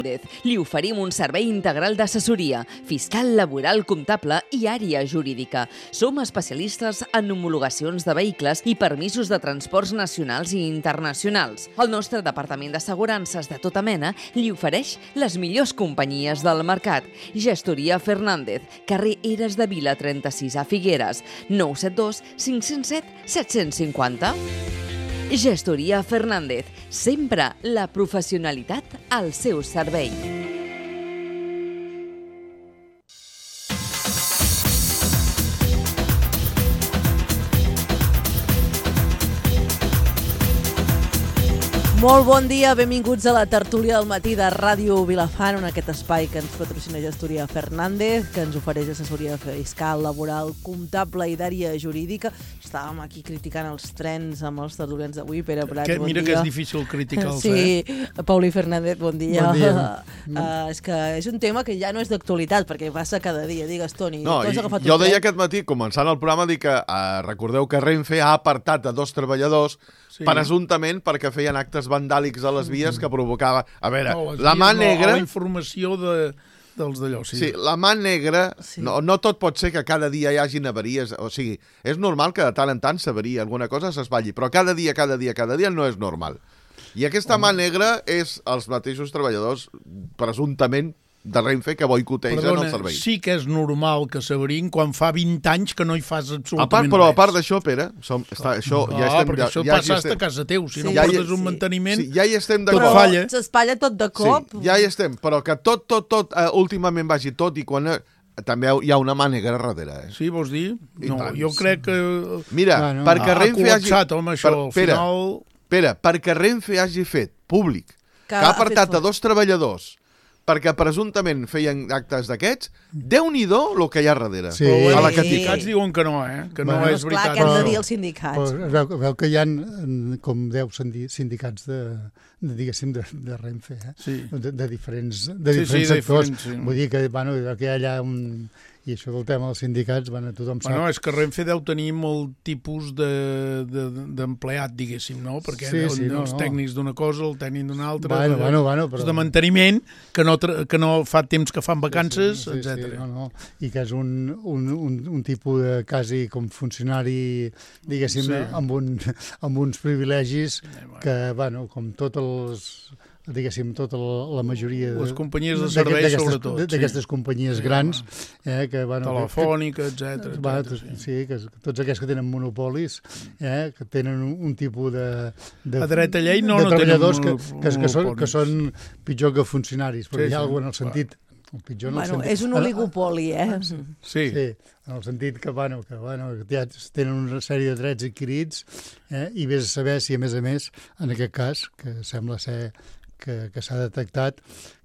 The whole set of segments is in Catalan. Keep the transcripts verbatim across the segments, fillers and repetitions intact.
Li oferim un servei integral d'assessoria, fiscal, laboral, comptable i àrea jurídica. Som especialistes en homologacions de vehicles i permisos de transports nacionals i internacionals. El nostre departament d'assegurances de tota mena li ofereix les millors companyies del mercat. Gestoria Fernández, carrer Eres de Vila trenta-sis a Figueres, nou set dos cinc zero set set cinc zero. Gestoria Fernández, sempre la professionalitat al seu servei. Molt bon dia, benvinguts a la tertúlia del matí de Ràdio Vilafant, en aquest espai que ens patrocina Gestoria Fernández, que ens ofereix assessoria fiscal, laboral, comptable i d'àrea jurídica. Estàvem aquí criticant els trens amb els tertulians d'avui. Pere Prats, bon mira dia. que és difícil criticar-los, sí, eh? Pauli Fernández, bon dia. Bon dia. uh, és que és un tema que ja no és d'actualitat, perquè passa cada dia. Digues, Toni, no, tu has agafat jo un deia tren? aquest matí, començant el programa, dic que uh, recordeu que Renfe ha apartat a dos treballadors Sí. presumptament perquè feien actes vandàlics a les vies que provocava... A veure, No, les la mà vies no, negra... a la informació de, dels d'allò, sí. Sí, la mà negra... Sí. No, no tot pot ser que cada dia hi hagin avaries. O sigui, és normal que de tant en tant s'avaria alguna cosa, s'espatlli, però cada dia, cada dia, cada dia no és normal. I aquesta mà negra és els mateixos treballadors, presumptament, de Renfe que boicotegen Perdona, el servei. sí que és normal que s'avarien quan fa vint anys que no hi fas A part, absolutament però a res. part d'això, Pere, som, està, això Ah, ja estem... perquè això ja, passa ja hasta estem, casa teu. Si Sí. no Ja hi- portes un sí. manteniment... sí, ja hi estem Tot d'acord. falla. S'espatlla tot de cop. Sí, ja hi estem, però que tot, tot, tot, uh, últimament vagi tot i quan... Uh, també hi ha una mà negra darrere, eh? Sí, vols dir? I No, tant. jo crec que... Mira, Bueno. perquè ha Renfe hagi... col·lapsat, home, això. Al Pere, final... Pere, perquè Renfe hagi fet públic que, Que ha ha apartat fet a dos treballadors perquè presumptament feien actes d'aquests, Déu-n'hi-do el que hi ha darrere. Sí. Però bueno, a la els que sindicats diuen que no, eh? Que no Bueno, és Clar, veritat. què han de Però- dir els sindicats? Però veu, veu que hi ha com deu sendi- sindicats de, de diguéssim, de, de Renfe, eh? Sí. de, de diferents, de Sí, diferents sí, de sectors. diferents, sí. Vull dir que, bueno, que hi ha allà un... I això del tema dels sindicats, bueno, tothom sap... Bueno, és que Renfe deu tenir molt tipus de- de- d'empleat, de, diguéssim, no? Perquè Sí, sí, sí, no, els no. tècnics d'una cosa, el tècnic d'una altra, Bueno, de, bueno, bueno, però- els de manteniment, que no, tra- que no fa temps que fan vacances, sí, sí, etcètera. Sí, no, no. I que és un, un, un, un tipus de quasi com funcionari, diguéssim, Sí. sí. amb, un, amb uns privilegis bueno. que, bueno, com tots els diguéssim, tota la, la majoria de, Les companyies de d'aquest- serveis, d'aquestes- sobretot, sí. d'aquestes companyies Sí, grans, eh, que, bueno, Telefònica, etcètera. que, va, etcètera, sí. sí, que, que tots aquests que tenen monopolis, eh, que tenen un, un tipus de, de, A dreta llei no, de no tenen treballadors que, monop- que, que, són, que monopolis. són pitjor que funcionaris, però Sí, hi ha sí, alguna en el clar. sentit... El pitjor en el Bueno, sentit, és un oligopoli, eh? Sí. Sí, en el sentit que, bueno, que, bueno, que ja tenen una sèrie de drets adquirits, eh, i vés a saber si, a més a més, en aquest cas, que sembla ser que, que s'ha detectat,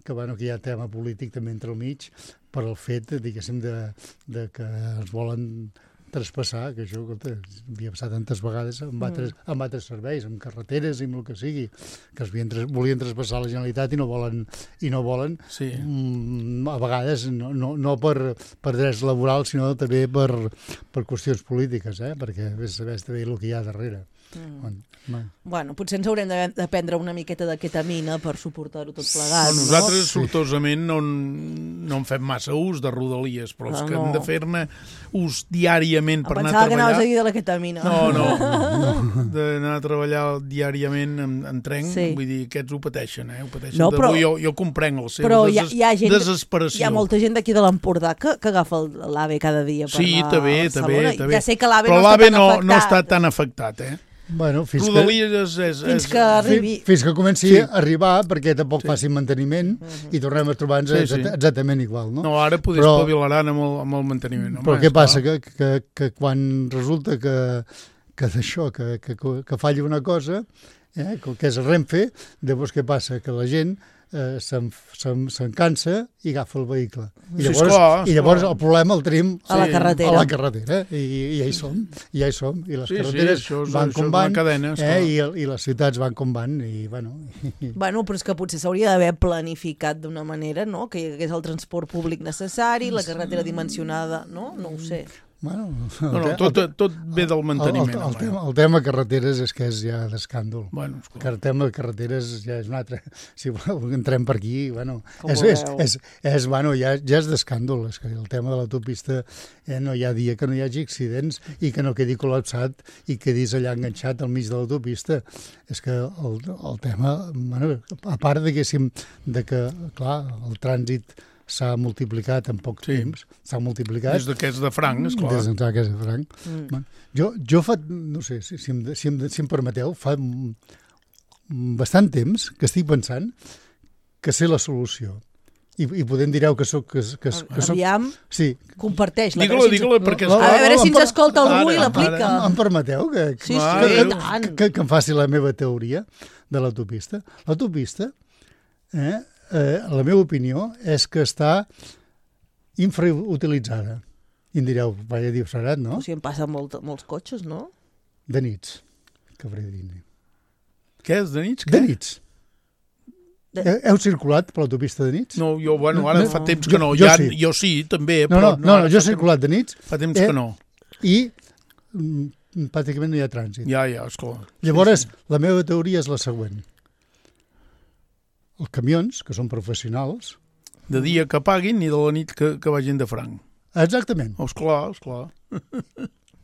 que, bueno, que hi ha tema polític també entre el mig per el fet, diguéssim, de, de que es volen traspassar, que això escolta, havia passat tantes vegades amb altres, amb altres serveis, amb carreteres i amb el que sigui, que es havien, tras- volien traspassar la Generalitat i no volen, i no volen Sí. mm, a vegades no, no, no per, per drets laborals, sinó també per, per qüestions polítiques, eh? Perquè vés a saber també el que hi ha darrere. Mm. Bueno, Bueno, potser ens haurem de, de prendre una miqueta de ketamina per suportar-ho tot plegat, Però nosaltres, no? sortosament, no, en- no en fem massa ús de rodalies, però els Ah, que no. hem de fer-ne ús diàriament per Em anar a pensava que anaves treballar... a dir de la ketamina. No, no, d'anar a treballar diàriament en, en tren, Sí. vull dir, aquests ho pateixen, eh? Ho pateixen. No, però- jo, jo comprenc el seu Però hi ha, deses, hi ha gent, desesperació. hi ha molta gent d'aquí de l'Empordà que, que agafa l'AVE cada dia per Sí, anar també, a també, Barcelona. també. Ja sé que l'AVE Però no està l'AVE tan no, afectat. no està tan afectat, eh? bueno fins, que, Rodalies és... és, Fins és que arribi... fi- fins que comenci Sí. a arribar, perquè tampoc Sí. facin manteniment, i tornem a trobar-nos Sí, sí. exacta- exactament igual, no? No, ara poder Però- espavilaran amb el, amb el manteniment. Però Home, què esclar. passa? Que, que, que quan resulta que, que d'això, que, que, que falla una cosa, eh, que és el Renfe, llavors què passa? Que la gent eh, se'n se'n se'n cansa i agafa el vehicle. I Sí, llavors, esclar, i llavors esclar. el problema el tenim A la Sí, carretera. a la carretera. I, i ja hi som, i ja hi som. I les Sí, sí, carreteres això és- van això com és van, una cadena, esclar. eh, i, i les ciutats van com van. I, bueno, i, Bueno, però és que potser s'hauria d'haver planificat d'una manera, no? Que hi hagués el transport públic necessari, la carretera dimensionada, no? No ho sé. Bueno, No, no, tot, tot ve del manteniment. El, el, el, tema, el tema carreteres és que és ja d'escàndol. Bueno, que el tema de carreteres ja és un altre. Si voleu, entrem per aquí, bueno, Com és, ho és, veu? és, és, bueno ja, ja és d'escàndol. És que el tema de l'autopista eh, no hi ha dia que no hi hagi accidents i que no quedi col·lapsat i quedis allà enganxat al mig de l'autopista. És que el, el tema, bueno, a part, diguéssim, de que, clar, el trànsit s'ha multiplicat en poc Sí. temps, s'ha multiplicat. des d'aquests de franc, esclar. Des d'aquest de franc. Mm. Bueno, jo, jo fa, no sé, si, si, em, si, em, si em permeteu, fa mm, bastant temps que estic pensant que sé la solució. I, i podem direu que soc... Que, que, que soc Aviam, sí. comparteix-la. Digue-la, a veure si ens- digue-la, perquè... No, A veure si ens Em- escolta algú i Ara, l'aplica. Em, em permeteu que, Sí, sí, Mare i de tant. que, que em faci la meva teoria de l'autopista? L'autopista, eh, eh, la meva opinió, és que està infrautilitzada. I em direu, vaya disbarat, no? O sigui, em passen molt, molts cotxes, no? De nits, que hauré de dir. Què és, de nits? De Què? nits. De- He- Heu circulat per l'autopista de nits? No, jo, bueno, ara No, fa no. temps que no. Jo- jo Ja, sí. jo sí, també, No, però... no, no, no, ara jo he fa temps- circulat de nits Fa temps Eh, que no. i mm, pràcticament no hi ha trànsit. Ja, ja, esclar. Llavors, la meva teoria és la següent. Els camions, que són professionals... De dia que paguin i de la nit que, que vagin de franc. Exactament, Oh, esclar, esclar.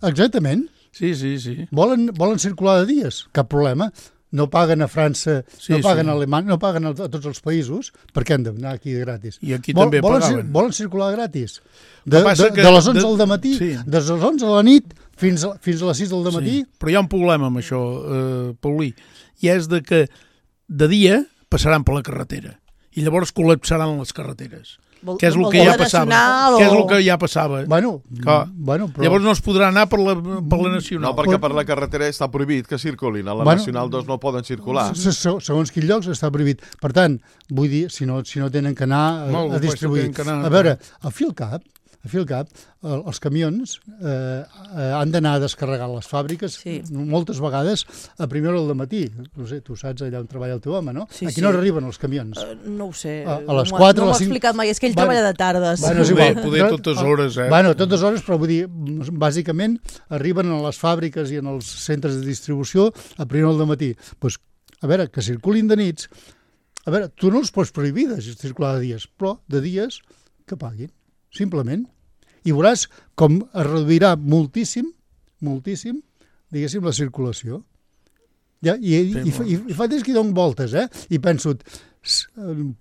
exactament. Sí, sí, sí. Volen, volen circular de dies, cap problema. No paguen a França, Sí, no paguen sí. a Alemanya, no paguen a, a tots els països, perquè han d'anar aquí de gratis. I aquí Vol- també volen, pagaven. volen circular gratis. De, que passa de, que de les onze de- del matí, sí. des de les onze de la nit fins a, fins a les sis del matí. Sí. Però hi ha un problema amb això, eh, Paulí, i és de que de dia passaran per la carretera i llavors col·lapsaran les carreteres. Vol, Què és el vol que dir ja la passava? nacional Què és el o- que ja passava? Bueno, Clar. bueno però... Llavors no es podrà anar per la, per la nacional. No, perquè per la carretera està prohibit que circulin. A la Bueno, Nacional dos no poden circular. Se- se- segons quins llocs està prohibit. Per tant, vull dir, si no, si no tenen que anar a, Molt, a pues, distribuir... tenen que anar- A veure, a Filcap, a Filcap, el- els camions eh, eh, han d'anar a descarregar les fàbriques Sí. moltes vegades a primera hora del matí. No sé, tu saps allà on treballa el teu home, no? Sí, a quina sí. hora arriben els camions? Eh, no ho sé. A- a no les m'ho- quatre, no a m'ho les ha cinc. explicat mai. És que ell Bueno, treballa de tardes. Bueno, és Poder- igual. poder totes hores, eh? Bueno, totes hores, però vull dir, bàsicament arriben a les fàbriques i en els centres de distribució a primera hora del matí. Pues, a veure, que circulin de nits, a veure, tu no els pots prohibir de circular de dies, però de dies que paguin, simplement. I veuràs com es reduirà moltíssim, moltíssim, diguéssim, la circulació. Ja, i, i, i, fa- i, i fa temps que hi dono voltes, eh? I penso, s-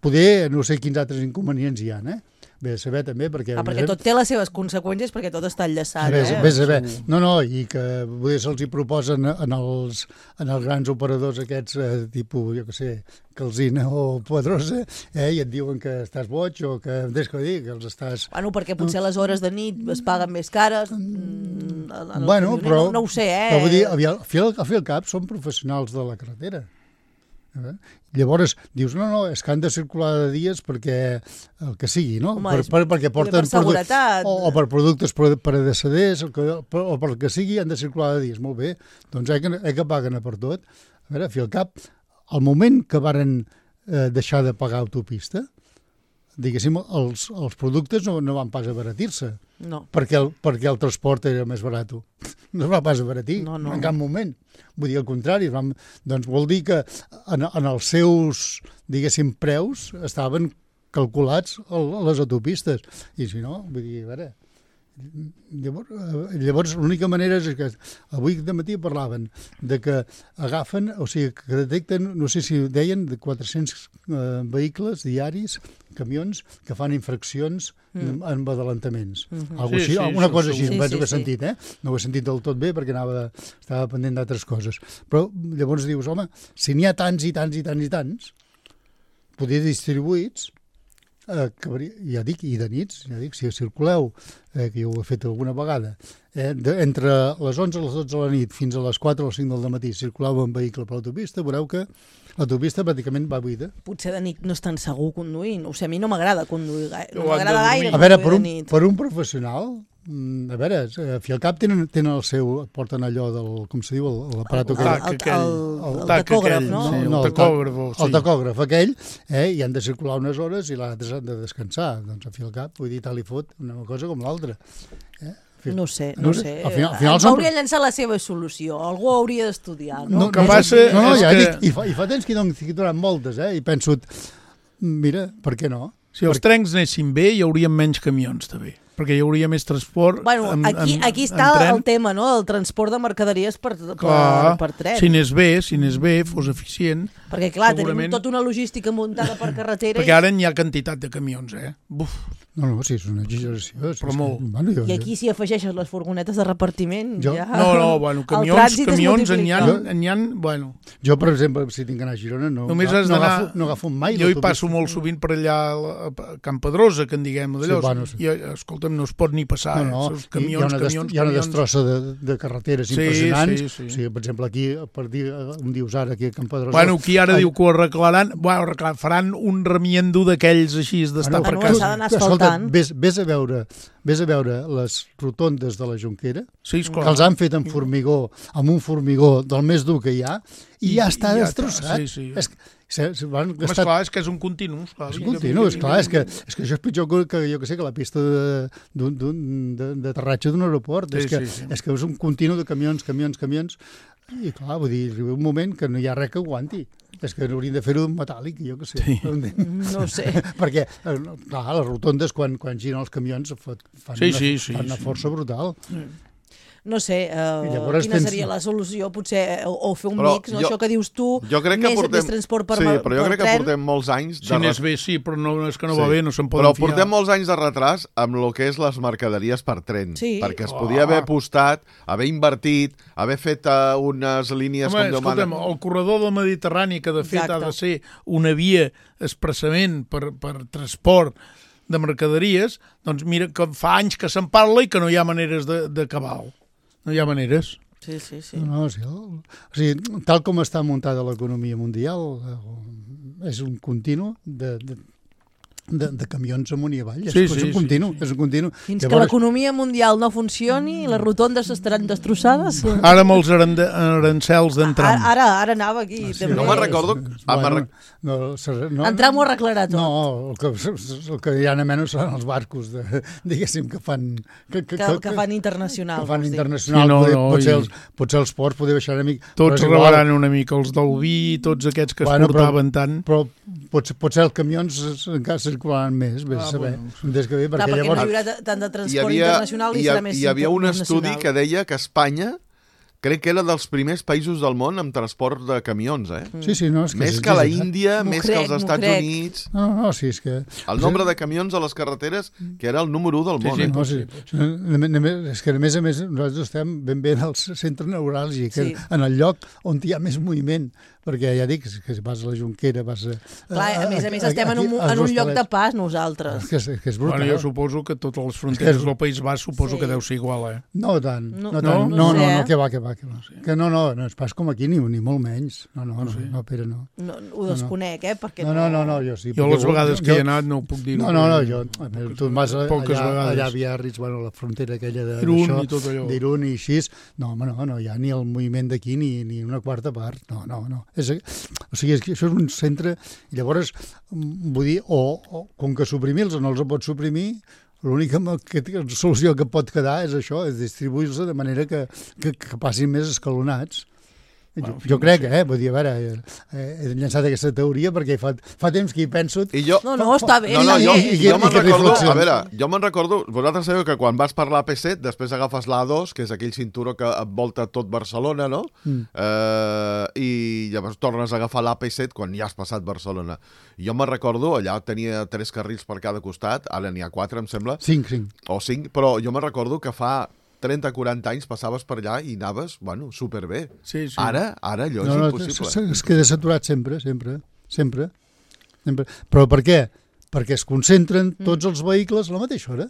poder, no sé quins altres inconvenients hi ha, eh? Bé, a saber també, perquè... Ah, perquè tot té les seves conseqüències, perquè tot està enllaçat, Ves, eh? ves a veure. No, no, i que poder se'ls hi proposen en els, en els grans operadors aquests, eh, tipus, jo què sé, Calzina o Pedrosa, eh, i et diuen que estàs boig o que, des que dir, que els estàs... Bueno, perquè potser les hores de nit es paguen més cares. Mm, en el Bueno, camioner, però... No, no ho sé, eh? Però vull dir, aviam, al fi al- al fi al cap són professionals de la carretera. Eh? Llavors, dius, no, no, és que han de circular de dies perquè el que sigui, no? Home, per, és- per, perquè porten per seguretat. o, o per productes pre- predecedents, o, que, o per el que sigui, han de circular de dies. Molt bé, doncs eh que, eh que paguen a per tot. A veure, a fi al cap, al moment que varen eh, deixar de pagar autopista, diguéssim, els, els productes no, no van pas abaratir-se, No. perquè el, perquè el transport era més barat. No es va pas abaratir, No, no. en cap moment. Vull dir, al contrari, vam, doncs vol dir que en, en els seus, diguéssim, preus estaven calculats a les autopistes. I si no, vull dir, a veure... Llavors, eh, llavors l'única manera és que avui de matí parlaven de que agafen, o sigui, que detecten, no sé si deien, de quatre-cents eh, vehicles diaris, camions, que fan infraccions mm. amb adelantaments. Mhm. Algo Sí, així, sí, alguna això cosa així, segur. em penso Sí, que he sí, sí. sentit, eh? No ho he sentit del tot bé perquè anava, estava pendent d'altres coses. Però llavors dius, home, si n'hi ha tants i tants i tants i tants, poder distribuïts, eh, que, hauria- ja dic, i de nits, ja dic, si circuleu, eh, que jo ho he fet alguna vegada, eh, de, entre les onze i les dotze de la nit fins a les quatre o les cinc del matí circuleu en vehicle per l'autopista, veureu que l'autopista pràcticament va buida. Potser de nit no és tan segur conduint. O sigui, a mi no m'agrada conduir gaire. No Ho han de m'agrada gaire dormir. A veure, per conduir un, de nit. per un professional, mm, a veure, eh, a fi al cap tenen, tenen el seu, porten allò del, com se diu, el- l'aparat El, aquell. tac el, aquell, el, el, tac tacògraf, aquell, no? Sí, No, el el tacògraf, sí. El tacògraf aquell, eh, i han de circular unes hores i l'altre han de descansar. Doncs a fi al cap, vull dir, tal i fot, una cosa com l'altra. Eh? A No sé, no, no sé. Al final, al final Ens som... hauria llançat la seva solució. Algú hauria d'estudiar, no? No, que passa no, no, és ja que... dic, i, fa, i fa temps que hi donen moltes, eh? I penso, mira, per què no? Si els trens anessin bé, hi haurien menys camions, també. Perquè hi hauria més transport Bueno, en, aquí, en, aquí està en tren. el tema, no? El transport de mercaderies per, per, Clar, per tren. si anés bé, si anés bé, fos eficient. Perquè, clar, segurament... tenim tota una logística muntada per carretera. Perquè ara n'hi ha quantitat de camions, eh? Buf. No, no, sí, és una exageració. Però molt. Que, bueno, jo, I aquí si afegeixes les furgonetes de repartiment, Jo? ja... No, no, bueno, camions, camions n'hi ha, n'hi ha, bueno... Jo, per exemple, si tinc d'anar a Girona, no, Només no, has no, d'anar... agafo, no agafo mai Jo hi l'autobús. passo molt sovint per allà a Camp Pedrosa, que en diguem d'allò. Sí, bueno, sí. I, escolta'm, no es pot ni passar. No, no, eh? Camions, hi ha una, camions, hi ha una camions. destrossa de, de carreteres Sí, impressionants. sí, sí. O sigui, per exemple, aquí, per dir, un dius ara, aquí a Camp Pedrosa... Bueno, qui ara Ai, diu que ho arreglaran, bueno, arreglaran, faran un remiendo d'aquells així d'estar bueno, per Bueno, s'ha casa. d'anar escolta, asfaltant. ves, ves a veure ves a veure les rotondes de la Jonquera, Sí, esclar. que els han fet amb formigó, amb un formigó del més dur que hi ha, i, I- ja està i ja destrossat. està, sí, sí. És, se, se van Home, gastar... esclar, és que és un continu. Esclar, És vinga, continu, vinga, és clar, vinga, és que, vinga. és que això és pitjor que, que jo que sé, que la pista de- d'un- d'un- de- d'aterratge d'un aeroport. Sí, és, que, sí, sí. és que és un continu de camions, camions, camions, i clar, vull dir, arriba un moment que no hi ha res que aguanti. És que haurien de fer-ho metàl·lic, jo que sé. Sí. No ho sé. Perquè, eh, clar, les rotondes, quan, quan giren els camions, fa- fan, Sí, una, sí, sí, fan una sí. força brutal. No sé, uh, I llavors quina tens- seria la solució, potser, eh, o, o fer un Però mix, no? jo- Això que dius tu, Jo crec que més, portem... més transport per, sí, ma- però jo per crec que tren. portem molts anys de Si anés ret- bé, sí, però no, és que no Sí. va bé, no se'n Però poden fiar. portem molts anys de retras amb el que és les mercaderies per tren. Sí. Perquè es Oh. podia haver apostat, haver invertit, haver fet uh, unes línies Home, com Déu escolta'm, mana. el corredor del Mediterrani, que de fet Exacte. ha de ser una via expressament per, per transport de mercaderies, doncs mira que fa anys que se'n parla i que no hi ha maneres de- d'acabar-ho. No hi ha maneres. Sí, sí, sí. No, no, sí, el, o sigui, tal com està muntada l'economia mundial, eh, és un continu de, de, de, de camions amunt i avall. Sí, és, sí, és un continu, sí, sí. és un continu. Fins que l'economia mundial no funcioni, les rotondes estaran destrossades. Ara amb els arende- arancels d'entram. Ara, ara, ara anava aquí. Ah, sí, també. No me'n recordo... Ah, me'n Bueno, rec- no, serà- no, Entram ho arreglarà tot. No, el que, el que hi ha a menys són els barcos, de, diguéssim, que fan... Que, Que, que fan internacional. que fan vols dir. internacional, Sí, no, poder, no, potser, i- els, potser els ports, poder baixar una mica... però Tots és igual. rebaran una mica, els del vi, tots aquests que es Bueno, però- portaven tant. Però potser, potser els camions encara circularan més, vés Ah, a saber. bueno, Des que bé, Clar, perquè perquè llavors... no hi haurà tant de Hi transport havia, internacional i hi, ha- serà més hi havia un estudi nacional. que deia que Espanya crec que era dels primers països del món amb transport de camions, eh? Sí, sí, no, és que Més és que la exagerat. Índia, M'ho més crec, que els m'ho Estats crec. Units. No, no, sí, és que... El nombre de camions a les carreteres, que era el número un del Sí, món. sí, eh? No, sí. A més, és que a més a més nosaltres estem ben bé al centre neuràlgic, Sí. en el lloc on hi ha més moviment, perquè ja dic que si vas a la Jonquera, vas a... Clar, a més a més estem en un, aquí, als en un lloc de Hostalets. pas nosaltres. És que és, és, que és brutal. Bueno, jo suposo que totes les fronteres És que- del País Basc suposo Sí. que deu ser igual, eh? No tant, No, no, no, tant. no No, no, sé, no, eh? que va, que va, que va. Que no, no, no és pas com aquí, ni, ni molt menys. No, no, no, no, Pere, no. No, ho desconec, eh? Perquè No, no, no, no, jo sí. Jo perquè les vegades que hi he anat no ho puc dir. No, no, no, jo, a veure, tu vas a- Poques allà, vegades. allà a Biarritz, bueno, la frontera aquella de- Irún d'això, i tot allò. d'Irún i així, no, home, no, no hi ha ni el moviment d'aquí ni, ni una quarta part, no, no, no. És, o sigui, és que això és un centre, i llavors, mm, vull dir, o, o com que suprimir-los o no els pots suprimir, l'única mo- que, que, solució que pot quedar és això, és distribuir-los de manera que, que, que passin més escalonats. Bueno, Jo, en fi, jo no crec, sé. eh? Vull dir, a veure, eh, he llançat aquesta teoria perquè fa, fa temps que hi penso. I jo... No, no, està bé. No, no, està jo, bé. i- jo me'n que recordo, reflexions. a veure, jo me'n recordo, vosaltres sabeu que quan vas per l'A P set, després agafes l'A dos, que és aquell cinturó que envolta tot Barcelona, no? Mm. Eh, I llavors tornes a agafar l'A P set quan ja has passat Barcelona. I jo me'n recordo, allà tenia tres carrils per cada costat, ara n'hi ha quatre, em sembla, Cinc, cinc. o cinc, però jo me'n recordo que fa trenta quaranta anys passaves per allà i anaves, bueno, superbé. Sí, sí. Ara, ara allò No, és no, impossible. es, es queda saturat sempre, sempre, sempre, sempre. Però per què? Perquè es concentren tots els vehicles a la mateixa hora.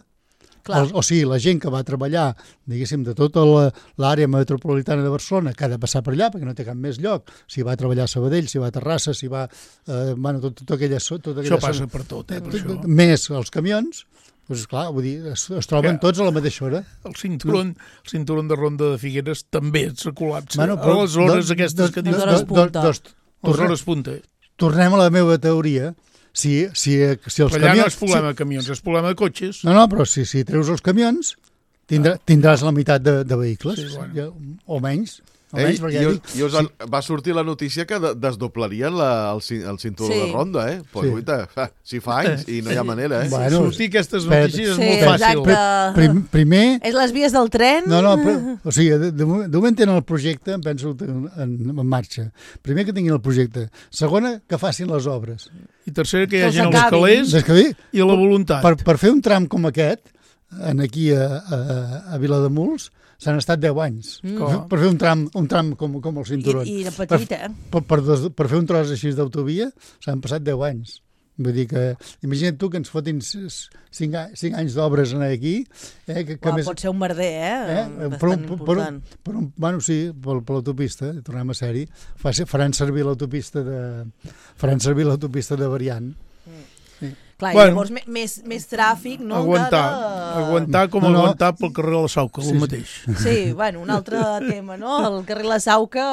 Clar. O, o sigui, la gent que va treballar, diguéssim, de tota la- l'àrea metropolitana de Barcelona, que ha de passar per allà, perquè no té cap més lloc, si va a treballar a Sabadell, si va a Terrassa, si va... Eh, bueno, tot, tot aquella, so- tota aquella Això passa zona. per tot, eh, per Tot- això. Més els camions, doncs clar, vull dir, es, es troben Que- tots a la mateixa hora. El cinturon, el cinturon de Ronda de Figueres també se col·lapsa. Bueno, a les hores do- aquestes do- que do- dius... Les hores do- punta. dos- Les tornem- hores punta. Tornem a la meva teoria. Si, si, si els Però allà no camions... és problema de camions, és problema de cotxes. No, no, però si, si treus els camions, tindrà, tindràs la meitat de, de vehicles, Sí, bueno. ja, o menys. O Ei, menys, perquè i, ja us, dic, i us han, va sortir la notícia que de, desdoblarien la, el, cin- el cinturó Sí. de ronda, eh? Pues, Sí. guaita, fa, si fa anys i no hi ha manera, eh? Bueno, Sortir aquestes espera't. notícies és Sí, molt fàcil. exacte. prim, primer... És les vies del tren? No, no, però, o sigui, de, de, moment- de moment tenen el projecte, em penso, en, en, en marxa. Primer que tinguin el projecte. Segona, que facin les obres. I tercera, que hi Que els hagi els acabin. calés Des que bé, i la voluntat. per, per fer un tram com aquest, en aquí a, a, a Vilademuls, s'han estat deu anys. Mm. Per, fer- per fer un tram, un tram com, com el I, cinturó. I de petit, eh? Per, per, des, per fer un tros així d'autovia s'han passat deu anys. Vull dir que, imagina't tu que ens fotin cinc, anys d'obres aquí. Eh, que, que Uau, més, pot ser un merder, eh? eh, Bastant per, un, per, important. un, per un, bueno, sí, per, per l'autopista, tornem a ser-hi, fa, faran servir l'autopista de faran servir l'autopista de Variant. Clar, Bueno. i llavors me- més, més tràfic, no? Aguantar, Encara... aguantar com No, no. aguantar pel carrer de la Sauca, el Sí, sí. mateix. Sí, bueno, un altre tema, no? El carrer La Sauca,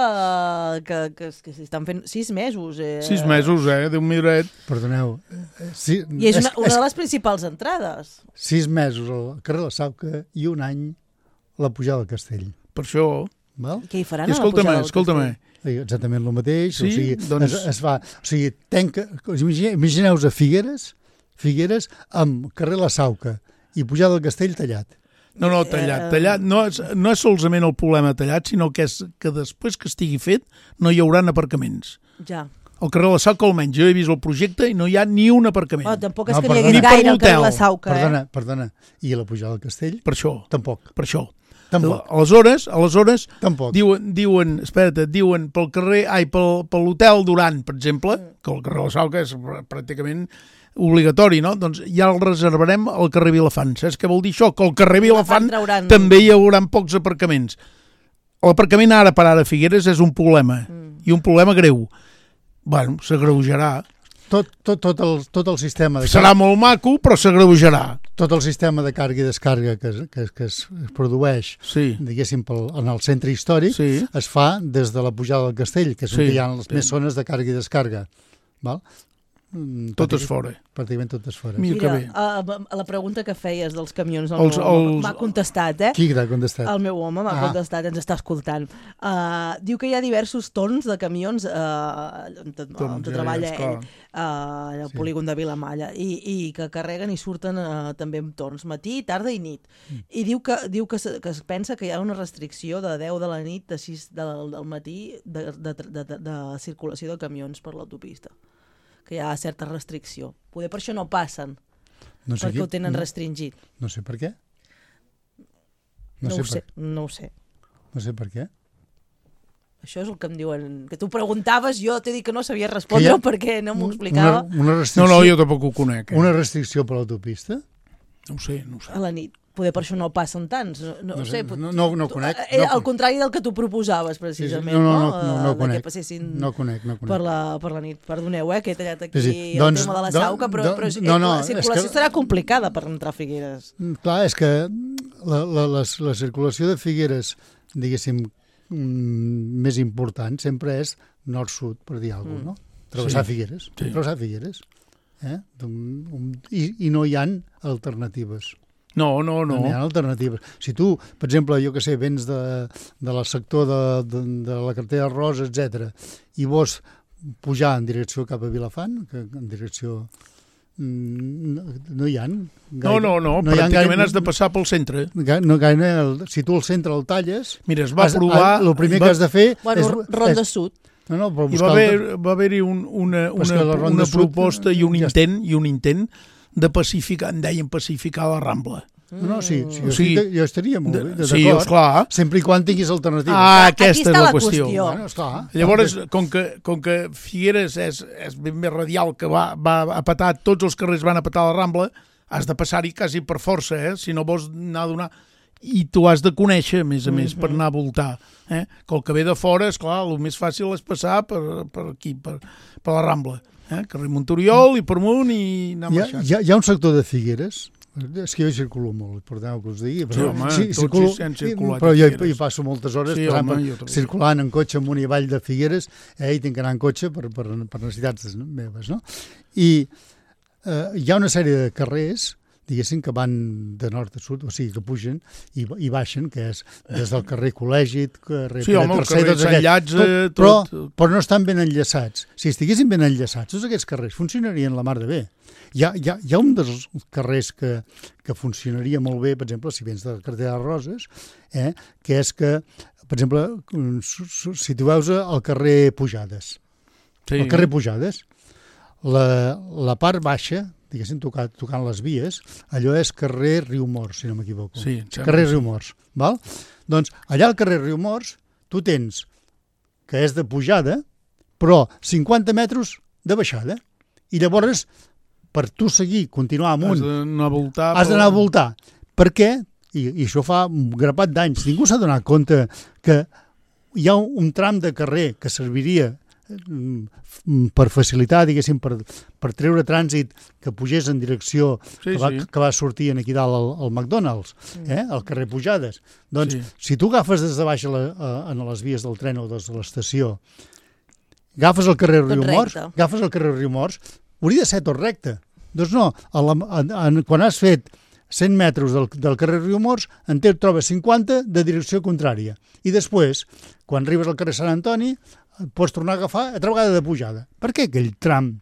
eh, que, que, que s'estan fent sis mesos. Eh? Sis mesos, eh? Déu miret. Perdoneu. eh, Sí, I és una, una és, de les principals entrades. sis mesos al carrer de la Sauca i un any la pujada al castell. Per això... Val? I què hi faran I a la escolta'm, pujada del escolta'm. castell? Exactament el mateix. Sí? O sigui, Doncs- es, es fa, o sigui, tenca, imagine- imagineu-vos a Figueres, Figueres amb carrer La Sauca i pujada del castell tallat. No, no, tallat. Eh, Tallat no és, no és solament el problema tallat, sinó que és que després que estigui fet no hi haurà aparcaments. Ja. Al carrer de la Sauca, almenys, jo he vist el projecte i no hi ha ni un aparcament. Oh, tampoc és No, que n'hi perdona. hagués Ni per gaire al carrer l'hotel. La Sauca, Perdona, eh? perdona. I a la pujada del castell? Per això, Tampoc. per això. Tampoc. Aleshores, aleshores Tampoc. diuen, diuen, espera't, diuen pel carrer, ai, pel, per l'hotel Duran, per exemple, que el carrer de la Sauca és pr- pràcticament obligatori, no? Doncs ja el reservarem al carrer Vilafant. Saps què vol dir això? Que al carrer Vilafant trauran- també hi haurà pocs aparcaments. L'aparcament ara per ara a Figueres és un problema, Mm. i un problema greu. Bueno, s'agreujarà. Tot, tot, tot, el, tot el sistema de Serà molt maco, però s'agreujarà. tot el sistema de càrrega i descàrrega que, es- que, es- que es produeix, Sí, diguéssim, pel, en el centre històric, sí. es fa des de la pujada del castell, que és Sí, on hi ha les sí. més zones de càrrega i descàrrega. Val? Mm, Tot és pràctic- fora. Pràcticament tot és fora. Mira que Mira, bé. a, a la pregunta que feies dels camions, el Els- meu home els- m'ha contestat, eh? Qui t'ha contestat? El meu home m'ha Ah. contestat, ens està escoltant. Uh, diu que hi ha diversos torns de camions uh, on, on, on ja, treballa ja, ell, esclar. uh, al Sí. polígon de Vilamalla, i, i que carreguen i surten uh, també en torns, matí, tarda i nit. Mm. I diu que diu que, se, que es pensa que hi ha una restricció de deu de la nit, de sis del, del matí, de, de, de, de, de circulació de camions per l'autopista. Que hi ha certa restricció. Poder per això no passen, No sé perquè qui- ho tenen no, restringit. no sé per què. No, No, ho sé, sé, per, no ho sé. no sé per què. Això és el que em diuen. Que tu preguntaves, jo t'he dit que no sabia respondre Que hi ha perquè no m'ho explicava. Una, una No, restricció, no, jo tampoc ho conec. Eh? una restricció per l'autopista? No ho sé, no ho sé. A la nit. Poder per això no passen tants. No, no, No no sé, sé, pot- no- no- no tu- conec, eh, no al conec. contrari del que tu proposaves, Sí, sí. precisament. No, no, no, no, no Eh, ho de conec. Que passessin No conec, no conec. per la, per la nit. Perdoneu, eh, que he tallat aquí Sí, sí, sí. sí. Doncs, el tema de la do- Sauca, però, do- però és, no, no, la és circulació que- serà complicada per entrar a Figueres. Mm, Clar, és que la, la, la, la circulació de Figueres, diguéssim, mm, més important sempre és nord-sud, per dir alguna cosa, no? Travessar Sí. Figueres. Sí. Travessar Figueres. Eh? Un, un, i, I no hi han alternatives. No, no, No. no. hi ha alternatives. Si tu, per exemple, jo que sé, vens de, de la sector de, de, de la carretera de Rosa, etcètera, i vols pujar en direcció cap a Vilafant, que en direcció... mm, No, no hi ha gaire. No, no, no, hi ha pràcticament gaire- has de passar pel centre. Ga- No gaire, el, si tu al centre el talles, Mira, es va has- provar... el primer va, que has de fer Bueno, és... Ronda és Sud. no, no, però Hi buscar va el- haver, va haver-hi un, una, Però és una, que la Ronda una Sud, proposta i un ja intent, i un intent de pacificar, en deien pacificar la Rambla. No, no, sí, sí, O jo, sigui, estic- jo estaria molt bé, De, sí, d'acord, esclar. sempre i quan tinguis alternatives. Ah, Aquí aquesta està és la la qüestió. qüestió. Bueno, esclar. Llavors, com que, com que Figueres és, és ben més radial, que va, va a petar, tots els carrers van a petar la Rambla, has de passar-hi quasi per força, eh? Si no vols anar a donar... I tu has de conèixer, a més a més, per anar a voltar. Eh? Que el que ve de fora, és clar, el més fàcil és passar per, per aquí, per, per la Rambla. Eh? Carrer Montoriol i per amunt i anar Hi ha, marxant. hi, ha, hi ha un sector de Figueres, és que jo hi circulo molt, perdoneu que us digui, Sí, home, tots circulo, hi hem circulat però a jo hi, Figueres. hi passo moltes hores Sí, passant home, per- jo també. circulant en cotxe amunt i avall de Figueres, eh, i tinc que anar en cotxe per, per, per necessitats meves, no? I eh, hi ha una sèrie de carrers, diguéssim, que van de nord a sud, o sigui, que pugen i, i baixen, que és des del carrer Col·legi, carrer Sí, home, el Tercer, carrer tots Sant aquests, Llàtzer, tot, tot- però, però no estan ben enllaçats. Si estiguessin ben enllaçats, tots aquests carrers funcionarien la mar de bé. Hi ha, hi ha, hi ha un dels carrers que, que funcionaria molt bé, per exemple, si vens de la carretera de Roses, eh, que és que, per exemple, si tu veus el carrer Pujades, Sí. el carrer Pujades, la, la part baixa, diguéssim, tocant, tocant les vies, allò és carrer Riumors, si no m'equivoco. Sí, em sembla carrer que sí. Riumors, val? Doncs allà al carrer Riumors tu tens que és de pujada, però cinquanta metres de baixada. I llavors, per tu seguir, continuar Has amunt, d'anar a voltar. has d'anar a voltar. Per què? I, i això fa un grapat d'anys. Ningú s'ha donat compte que hi ha un, un tram de carrer que serviria mm, per facilitar, diguéssim, per, per treure trànsit que pugés en direcció Sí, que, va, sí. que va sortir aquí dalt al, al McDonald's, eh? al carrer Pujades. Doncs, Sí. si tu agafes des de baix a, la, a, a les vies del tren o des de l'estació, agafes el carrer Tot Riumors, recte. agafes el carrer Riumors, hauria de ser tot recte. Doncs no, a la, a, a, quan has fet cent metres del, del carrer Riumors, en te trobes cinquanta de direcció contrària. I després, quan arribes al carrer Sant Antoni, pots tornar a agafar altra vegada de pujada. Per què aquell tram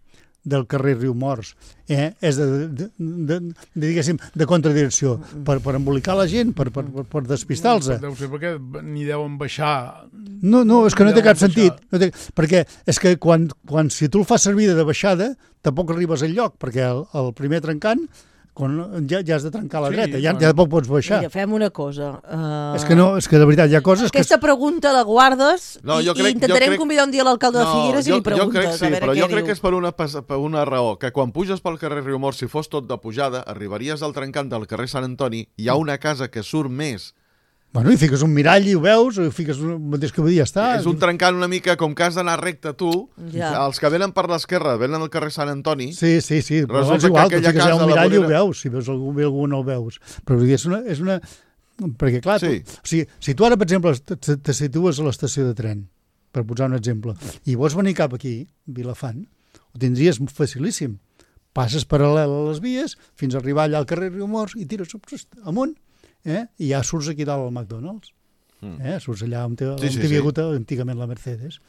del carrer Riumors eh, és de, de, de, de, diguéssim, de contradirecció? Per, per embolicar la gent, per, per, per, per despistar-los. Deu ser perquè ni deuen baixar. No, no, és que no té Deuen cap sentit. baixar. No té, perquè és que quan, quan si tu el fas servir de baixada, tampoc arribes al lloc, perquè el, el primer trencant quan ja, ja has de trencar a la Sí, dreta, ja, bueno. ja tampoc pots baixar. Mira, fem una cosa. Uh... És que no, és que de veritat hi ha coses que... Aquesta pregunta la guardes No, i, jo crec- i intentarem jo crec- convidar un dia l'alcalde de Figueres i jo, li preguntes jo crec sí, a veure però què jo crec diu. que és per una, pas- per una raó, que quan puges pel carrer Riumors, si fos tot de pujada, arribaries al trencant del carrer Sant Antoni, hi ha una casa que surt més. Bueno, i fiques un mirall i ho veus, i fiques un mateix que ja està. És un trencant una mica com que has d'anar recte tu. Ja. Els que venen per l'esquerra venen al carrer Sant Antoni. Sí, sí, sí, però Resulta és igual, que tu aquella fiques allà casa un a la mirall i ho vorera- veus, si veus algú bé algú no ho veus. Però vull dir, és una... És una... Perquè, clar, Sí. tu, o sigui, si tu ara, per exemple, te, te situes a l'estació de tren, per posar un exemple, i vols venir cap aquí, Vilafant, ho tindries facilíssim. Passes paral·lel a les vies fins a arribar allà al carrer Riumors i tires amunt, eh? I ja surts aquí dalt al McDonald's. Mm. Eh? Surts allà on, té, on Sí, sí, t'hi havia sí. hagut antigament la Mercedes.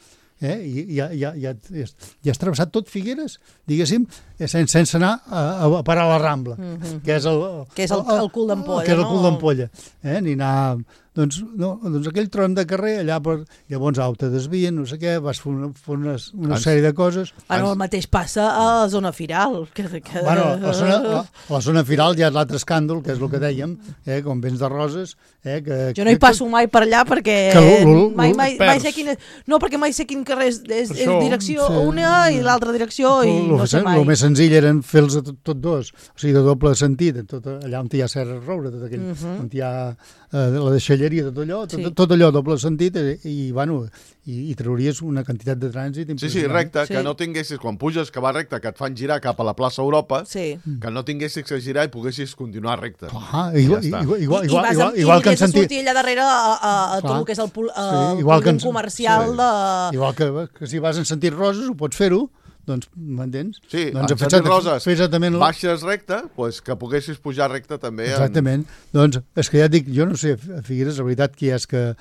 Eh? I ja, ja, ja, ja, ja has travessat tot Figueres, diguéssim, eh, sense, sense anar a, a parar a la Rambla, Mhm. que és el, Que és el- el cul d'ampolla, que és el no? cul d'ampolla. Eh? Ni anar... Doncs, no, doncs aquell tram de carrer, allà per, llavors au, te desvien, no sé què, vas fer una, fer una, una Ans- sèrie de coses. Bueno, el mateix passa a la zona firal. Que, que... Bueno, la zona, la, la zona firal ja és l'altre escàndol, que és el que dèiem, eh, com vens de Roses. Eh, que, Jo no hi passo mai per allà perquè Que l'u- l'u- mai, mai, mai perds. sé quin és... No, perquè mai sé quin carrer és, és, és Això, direcció sí. una i l'altra direcció i El no sé mai. més senzill eren fer-los tot, tot dos, o sigui, de doble sentit, tot, allà on hi ha Serra Roure, tot aquell, Mhm. on hi ha eh, la deixalleria, tot allò, tot, Sí. tot allò doble sentit, i, i, bueno, i, i trauries una quantitat de trànsit Sí, impressionant. sí, recte, Sí. que no tinguessis, quan puges que va recte, que et fan girar cap a la plaça Europa, Sí. que no tinguessis que girar i poguessis continuar recte. Ah, igual, Ja està. igual, igual, I, igual, i vas igual, amb, igual que i en has de sentit... sortir allà darrere a, a, a tot Clar. el que és el, pol, a, Sí, el igual que polígon en- comercial sí. de... Igual que, que si vas en sentit Roses, ho pots fer-ho, doncs, m'entens? Sí, doncs, en fer sentit exacta- Roses, fer exactament la- baixes recte, pues, que poguessis pujar recte també. En... Exactament. Doncs és que ja et dic, jo no sé, a Figueres, la veritat, qui és que,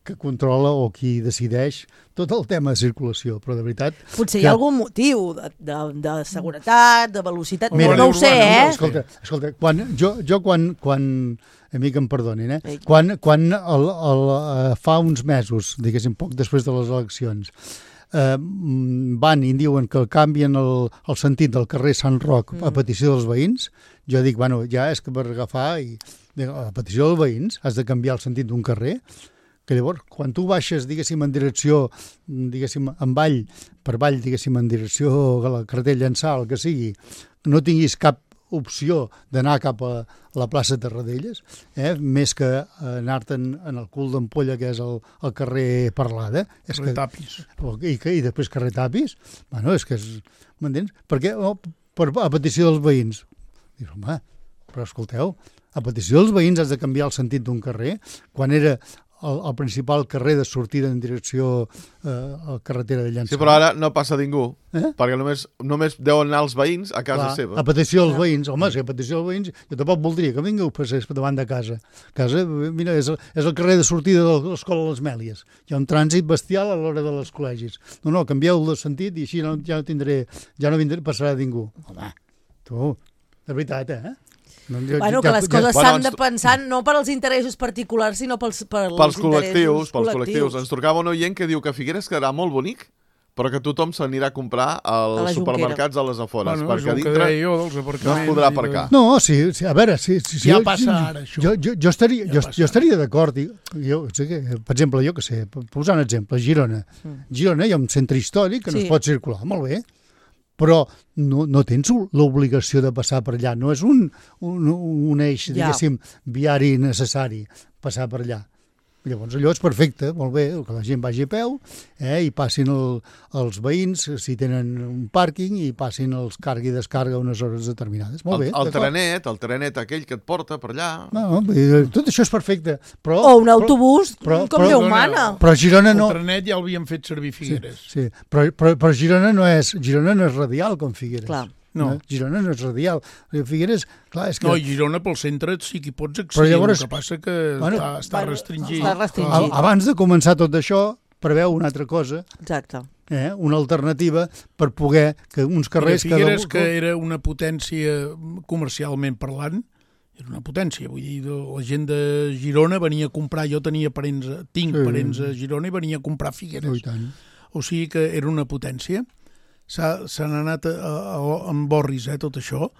que controla o qui decideix tot el tema de circulació, però de veritat... Potser hi que- ha algun motiu de, de, de seguretat, de velocitat, Mira, no, no ho sé, urbana, eh? Escolta, escolta quan, jo, jo quan, quan a mi que em perdonin, eh? Ei. Quan, quan el, el, eh, fa uns mesos, diguéssim, poc després de les eleccions, eh, mm, van i diuen que canvien el, el sentit del carrer Sant Roc a petició dels veïns, jo dic, bueno, ja és que per agafar i dic, a petició dels veïns has de canviar el sentit d'un carrer, que llavors, quan tu baixes, diguéssim, en direcció, diguéssim, en vall, per vall, diguéssim, en direcció a la carretera Llançà, el que sigui, no tinguis cap opció d'anar cap a la plaça Tarradellas, eh? més que anar-te'n en el cul d'ampolla, que és el, el carrer Parlada. És que, Retapis. i, que, I després carrer Tapis. Bueno, és que és... M'entens? Perquè oh, per, a petició dels veïns. Dius, home, però escolteu, a petició dels veïns has de canviar el sentit d'un carrer, quan era el, el principal carrer de sortida en direcció eh, a la carretera de Llançà. Sí, però ara no passa ningú, Eh? perquè només, només deuen anar els veïns a casa Clar, seva. a petició dels veïns. Home, si a petició dels veïns, jo tampoc voldria que vingueu passés davant de casa. Casa, mira, és el, és el carrer de sortida de l'escola Les Mèlies. Hi ha un trànsit bestial a l'hora de les col·legis. No, no, canvieu el sentit i així no, ja no tindré, ja no vindré, passarà ningú. Home, tu, de veritat, eh? No, jo, Bueno, que les coses s'han de pensar no per als interessos particulars, sinó pels, pels, Pels col·lectius, interessos pels col·lectius. Ens trucava un oient que diu que Figueres quedarà molt bonic, però que tothom s'anirà a comprar A la als Jonquera. supermercats a les afores, Bueno, és perquè a el que dintre deia jo dels no es aparcaments podrà i de- aparcar. No, sí, sí, a veure, sí, sí, sí, Ja jo- passa ara, això. Jo, jo, jo estaria, Ja jo, passa jo estaria d'acord. i- Jo, sé que, per exemple, jo que sé, per posar un exemple, Girona. Girona hi ha un centre històric que no Sí. es pot circular, molt bé, però no, no tens l'obligació de passar per allà. No és un, un, un eix, Ja. diguéssim, viari necessari passar per allà. Llavors allò és perfecte, molt bé, que la gent vagi a peu eh, i passin el, els veïns, si tenen un pàrquing, i passin els carga i descarga a unes hores determinades. Molt bé, El, el d'acord. trenet, el trenet aquell que et porta per allà... No, eh, tot això és perfecte, però... O un autobús, però- com però- Déu no, no. mana. Però Girona no... El trenet ja l'havien fet servir Figueres. Sí, però, però, però Girona no és Girona no és radial com Figueres. Clar. No. Girona no és radial. Figueres, clar, és que... No, i Girona pel centre sí que hi pots accedir, Però llavors- el que passa que Bueno, està, està bueno, restringit. està restringit. a- abans de començar tot això, preveu una altra cosa, Exacte. eh? una alternativa per poder que uns carrers... Mira, Figueres, que... que era una potència comercialment parlant, era una potència, vull dir, la gent de Girona venia a comprar, jo tenia parents, tinc Sí. parents a Girona i venia a comprar Figueres. Oh, i tant. O sigui que era una potència. S'ha- S'han anat a, a, a, en borris, eh, tot això.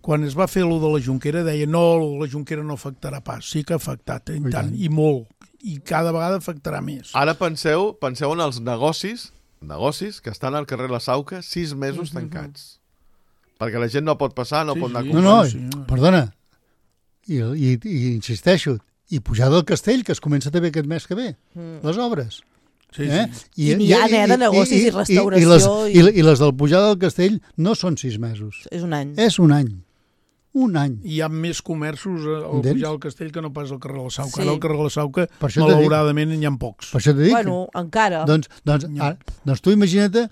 Quan es va fer lo de la Jonquera, deia no, la Jonquera no afectarà pas. Sí que ha afectat, eh, i I tant, tant. i molt. I cada vegada afectarà més. Ara penseu, penseu en els negocis, negocis que estan al carrer La Sauca sis mesos tancats. Perquè la gent no pot passar, no Sí, pot anar a sí. No, comprar. no, Sí, sí. perdona. I, i, i insisteixo, i pujar del castell, que es comença també aquest mes que ve, Mm. les obres. Sí, Eh? sí. I n'hi ha, eh, de negocis i restauració I, les, i- i... I les del pujar del castell no són sis mesos, És un any. és un any. Un any. Hi ha més comerços al Entens? pujar al castell que no pas al carrer la Sauca. Sí. Ara al carrer la Sauca, Per això t'he dit. malauradament, n'hi ha pocs. Per això t'he dit. Bueno, encara. Doncs, doncs, No. ara, doncs tu imagina't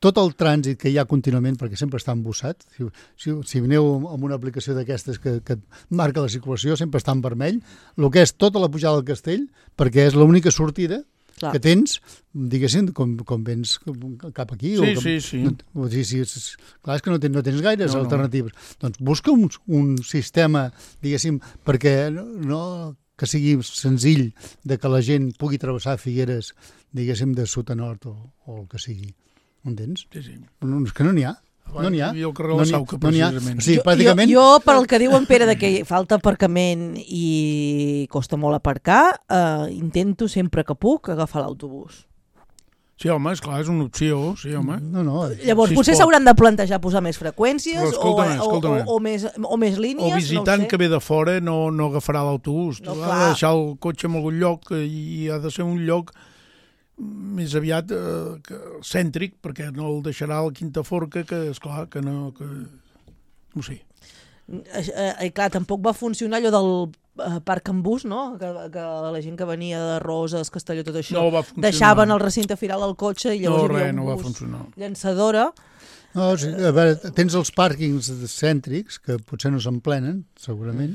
tot el trànsit que hi ha contínuament, perquè sempre està embussat. Si, si, si aneu amb una aplicació d'aquestes que, que et marca la circulació, sempre està en vermell, el que és tota la pujada del castell, perquè és l'única sortida Clar. que tens, diguéssim, com, com vens cap aquí. o Sí, com, sí, sí. No, o sigui, sí, sí, clar, és que no tens, no tens gaires No, no. alternatives. Doncs busca un, un sistema, diguéssim, perquè no, no que sigui senzill de que la gent pugui travessar Figueres, diguéssim, de sud a nord o, o el que sigui. Entens? Sí, sí. No, és que no n'hi ha. No n'hi ha. I el carrer No la n'hi ha. Sauca, No n'hi ha. precisament. O sigui, Jo- pràcticament... Jo, jo, per el que diu en Pere de que falta aparcament i costa molt aparcar, eh, intento sempre que puc agafar l'autobús. Sí, home, esclar, és una opció, sí, home. No, no. Llavors, Si es potser pot. s'hauran de plantejar posar més freqüències Però o, escolta'm, o, escolta'm. o, o, més, o més línies, O visitant no ho sé. que ve de fora no, no agafarà l'autobús. No, No, ha clar. de deixar el cotxe en algun lloc i ha de ser un lloc més aviat eh, que, cèntric, perquè no el deixarà a la Quinta Forca, que, esclar, que no... Que... No ho sé. Eh, eh, clar, tampoc va funcionar allò del eh, parc en bus, no? Que, que la gent que venia de Roses, Castelló, tot això, No va funcionar. deixaven el recinte firal al cotxe i No, llavors hi res, havia no un va bus funcionar. llançadora. No, o sigui, a veure, tens els pàrquings cèntrics, que potser no s'emplenen, segurament,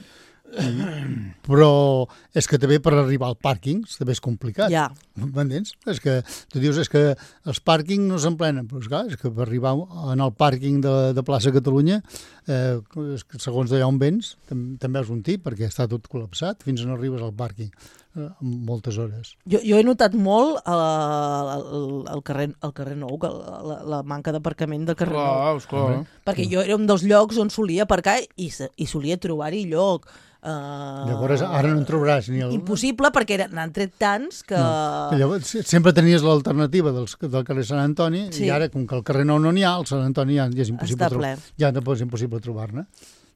però és que també per arribar al pàrquing també és complicat. Ja. M'entens? És que tu dius és que els pàrquings no s'emplenen, però és clar, és que per arribar en el pàrquing de, de plaça Catalunya, eh, és que segons d'allà on vens, tam, també és un tip, perquè està tot col·lapsat fins on arribes al pàrquing, eh, en moltes hores. Jo, jo he notat molt al, al, carrer, al carrer Nou, que la, la, la manca d'aparcament del carrer Nou. Clar, esclar. Perquè jo era un dels llocs on solia aparcar i, se- i solia trobar-hi lloc. Uh, Llavors, ara no en trobaràs ni el... Impossible, perquè eren- n'han tret tants que... No. Llavors, se- sempre tenies l'alternativa dels, del carrer Sant Antoni, Sí. i ara, com que al carrer Nou no n'hi ha, al Sant Antoni ja, ja és impossible Està ple. trobar. Ja no és impossible trobar-ne.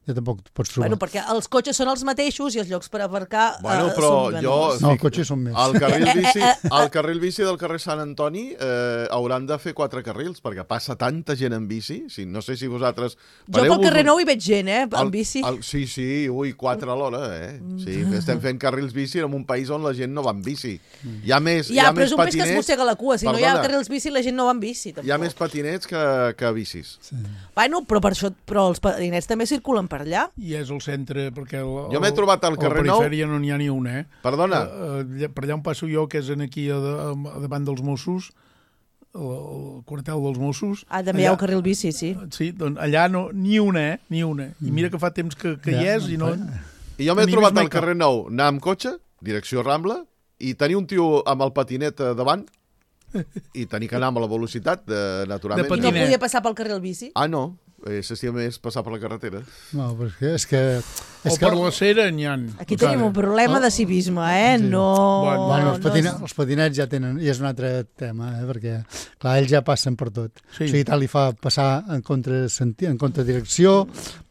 ja tampoc pots trobar. Bueno, perquè els cotxes són els mateixos i els llocs per aparcar Bueno, eh, però són jo... menors. No, els cotxes són més. El carril bici, el carril bici del carrer Sant Antoni eh, hauran de fer quatre carrils, perquè passa tanta gent en bici. Sí, no sé si vosaltres... Jo pel carrer Nou hi veig gent, eh, en el, bici. El, sí, sí, ui, quatre a l'hora, eh? Sí, estem fent carrils bici en un país on la gent no va en bici. Hi ha més, Ja, hi ha però més és un més que es patinets... mossega la cua. Si no hi ha Perdona. carrils bici, la gent no va en bici, tampoc. Hi ha més patinets que, que bicis. Sí. Bueno, però per això, però els patinets també circulen per allà. I és el centre, perquè el, Jo m'he trobat al carrer a la Nou- perifèria no n'hi ha ni un, eh? Perdona. Uh, uh, per allà on passo jo, que és en aquí a, a, a davant dels Mossos, el, el quartel dels Mossos... Ah, també hi ha un carril bici, sí. Sí, doncs allà no, ni una, eh? Ni una. I mira que fa temps que, que Ja, hi és i no... I jo m'he Ni trobat més mai al carrer Nou, anar amb cotxe, direcció Rambla, i tenir un tio amb el patinet eh, davant, i tenir que anar amb la velocitat, de, naturalment. De I no patinet. podia passar pel carril bici? Ah, no. Eh, s'estia més passar per la carretera. No, però és que... És que, és O que per la cera n'hi ha. Aquí tenim un problema de civisme, eh? No... Bueno, Bueno, els, no patina, és- els patinets ja tenen, i és un altre tema, eh, perquè, clar, ells ja passen per tot. Sí. O sigui, tal li fa passar en contrasenti, en contradirecció,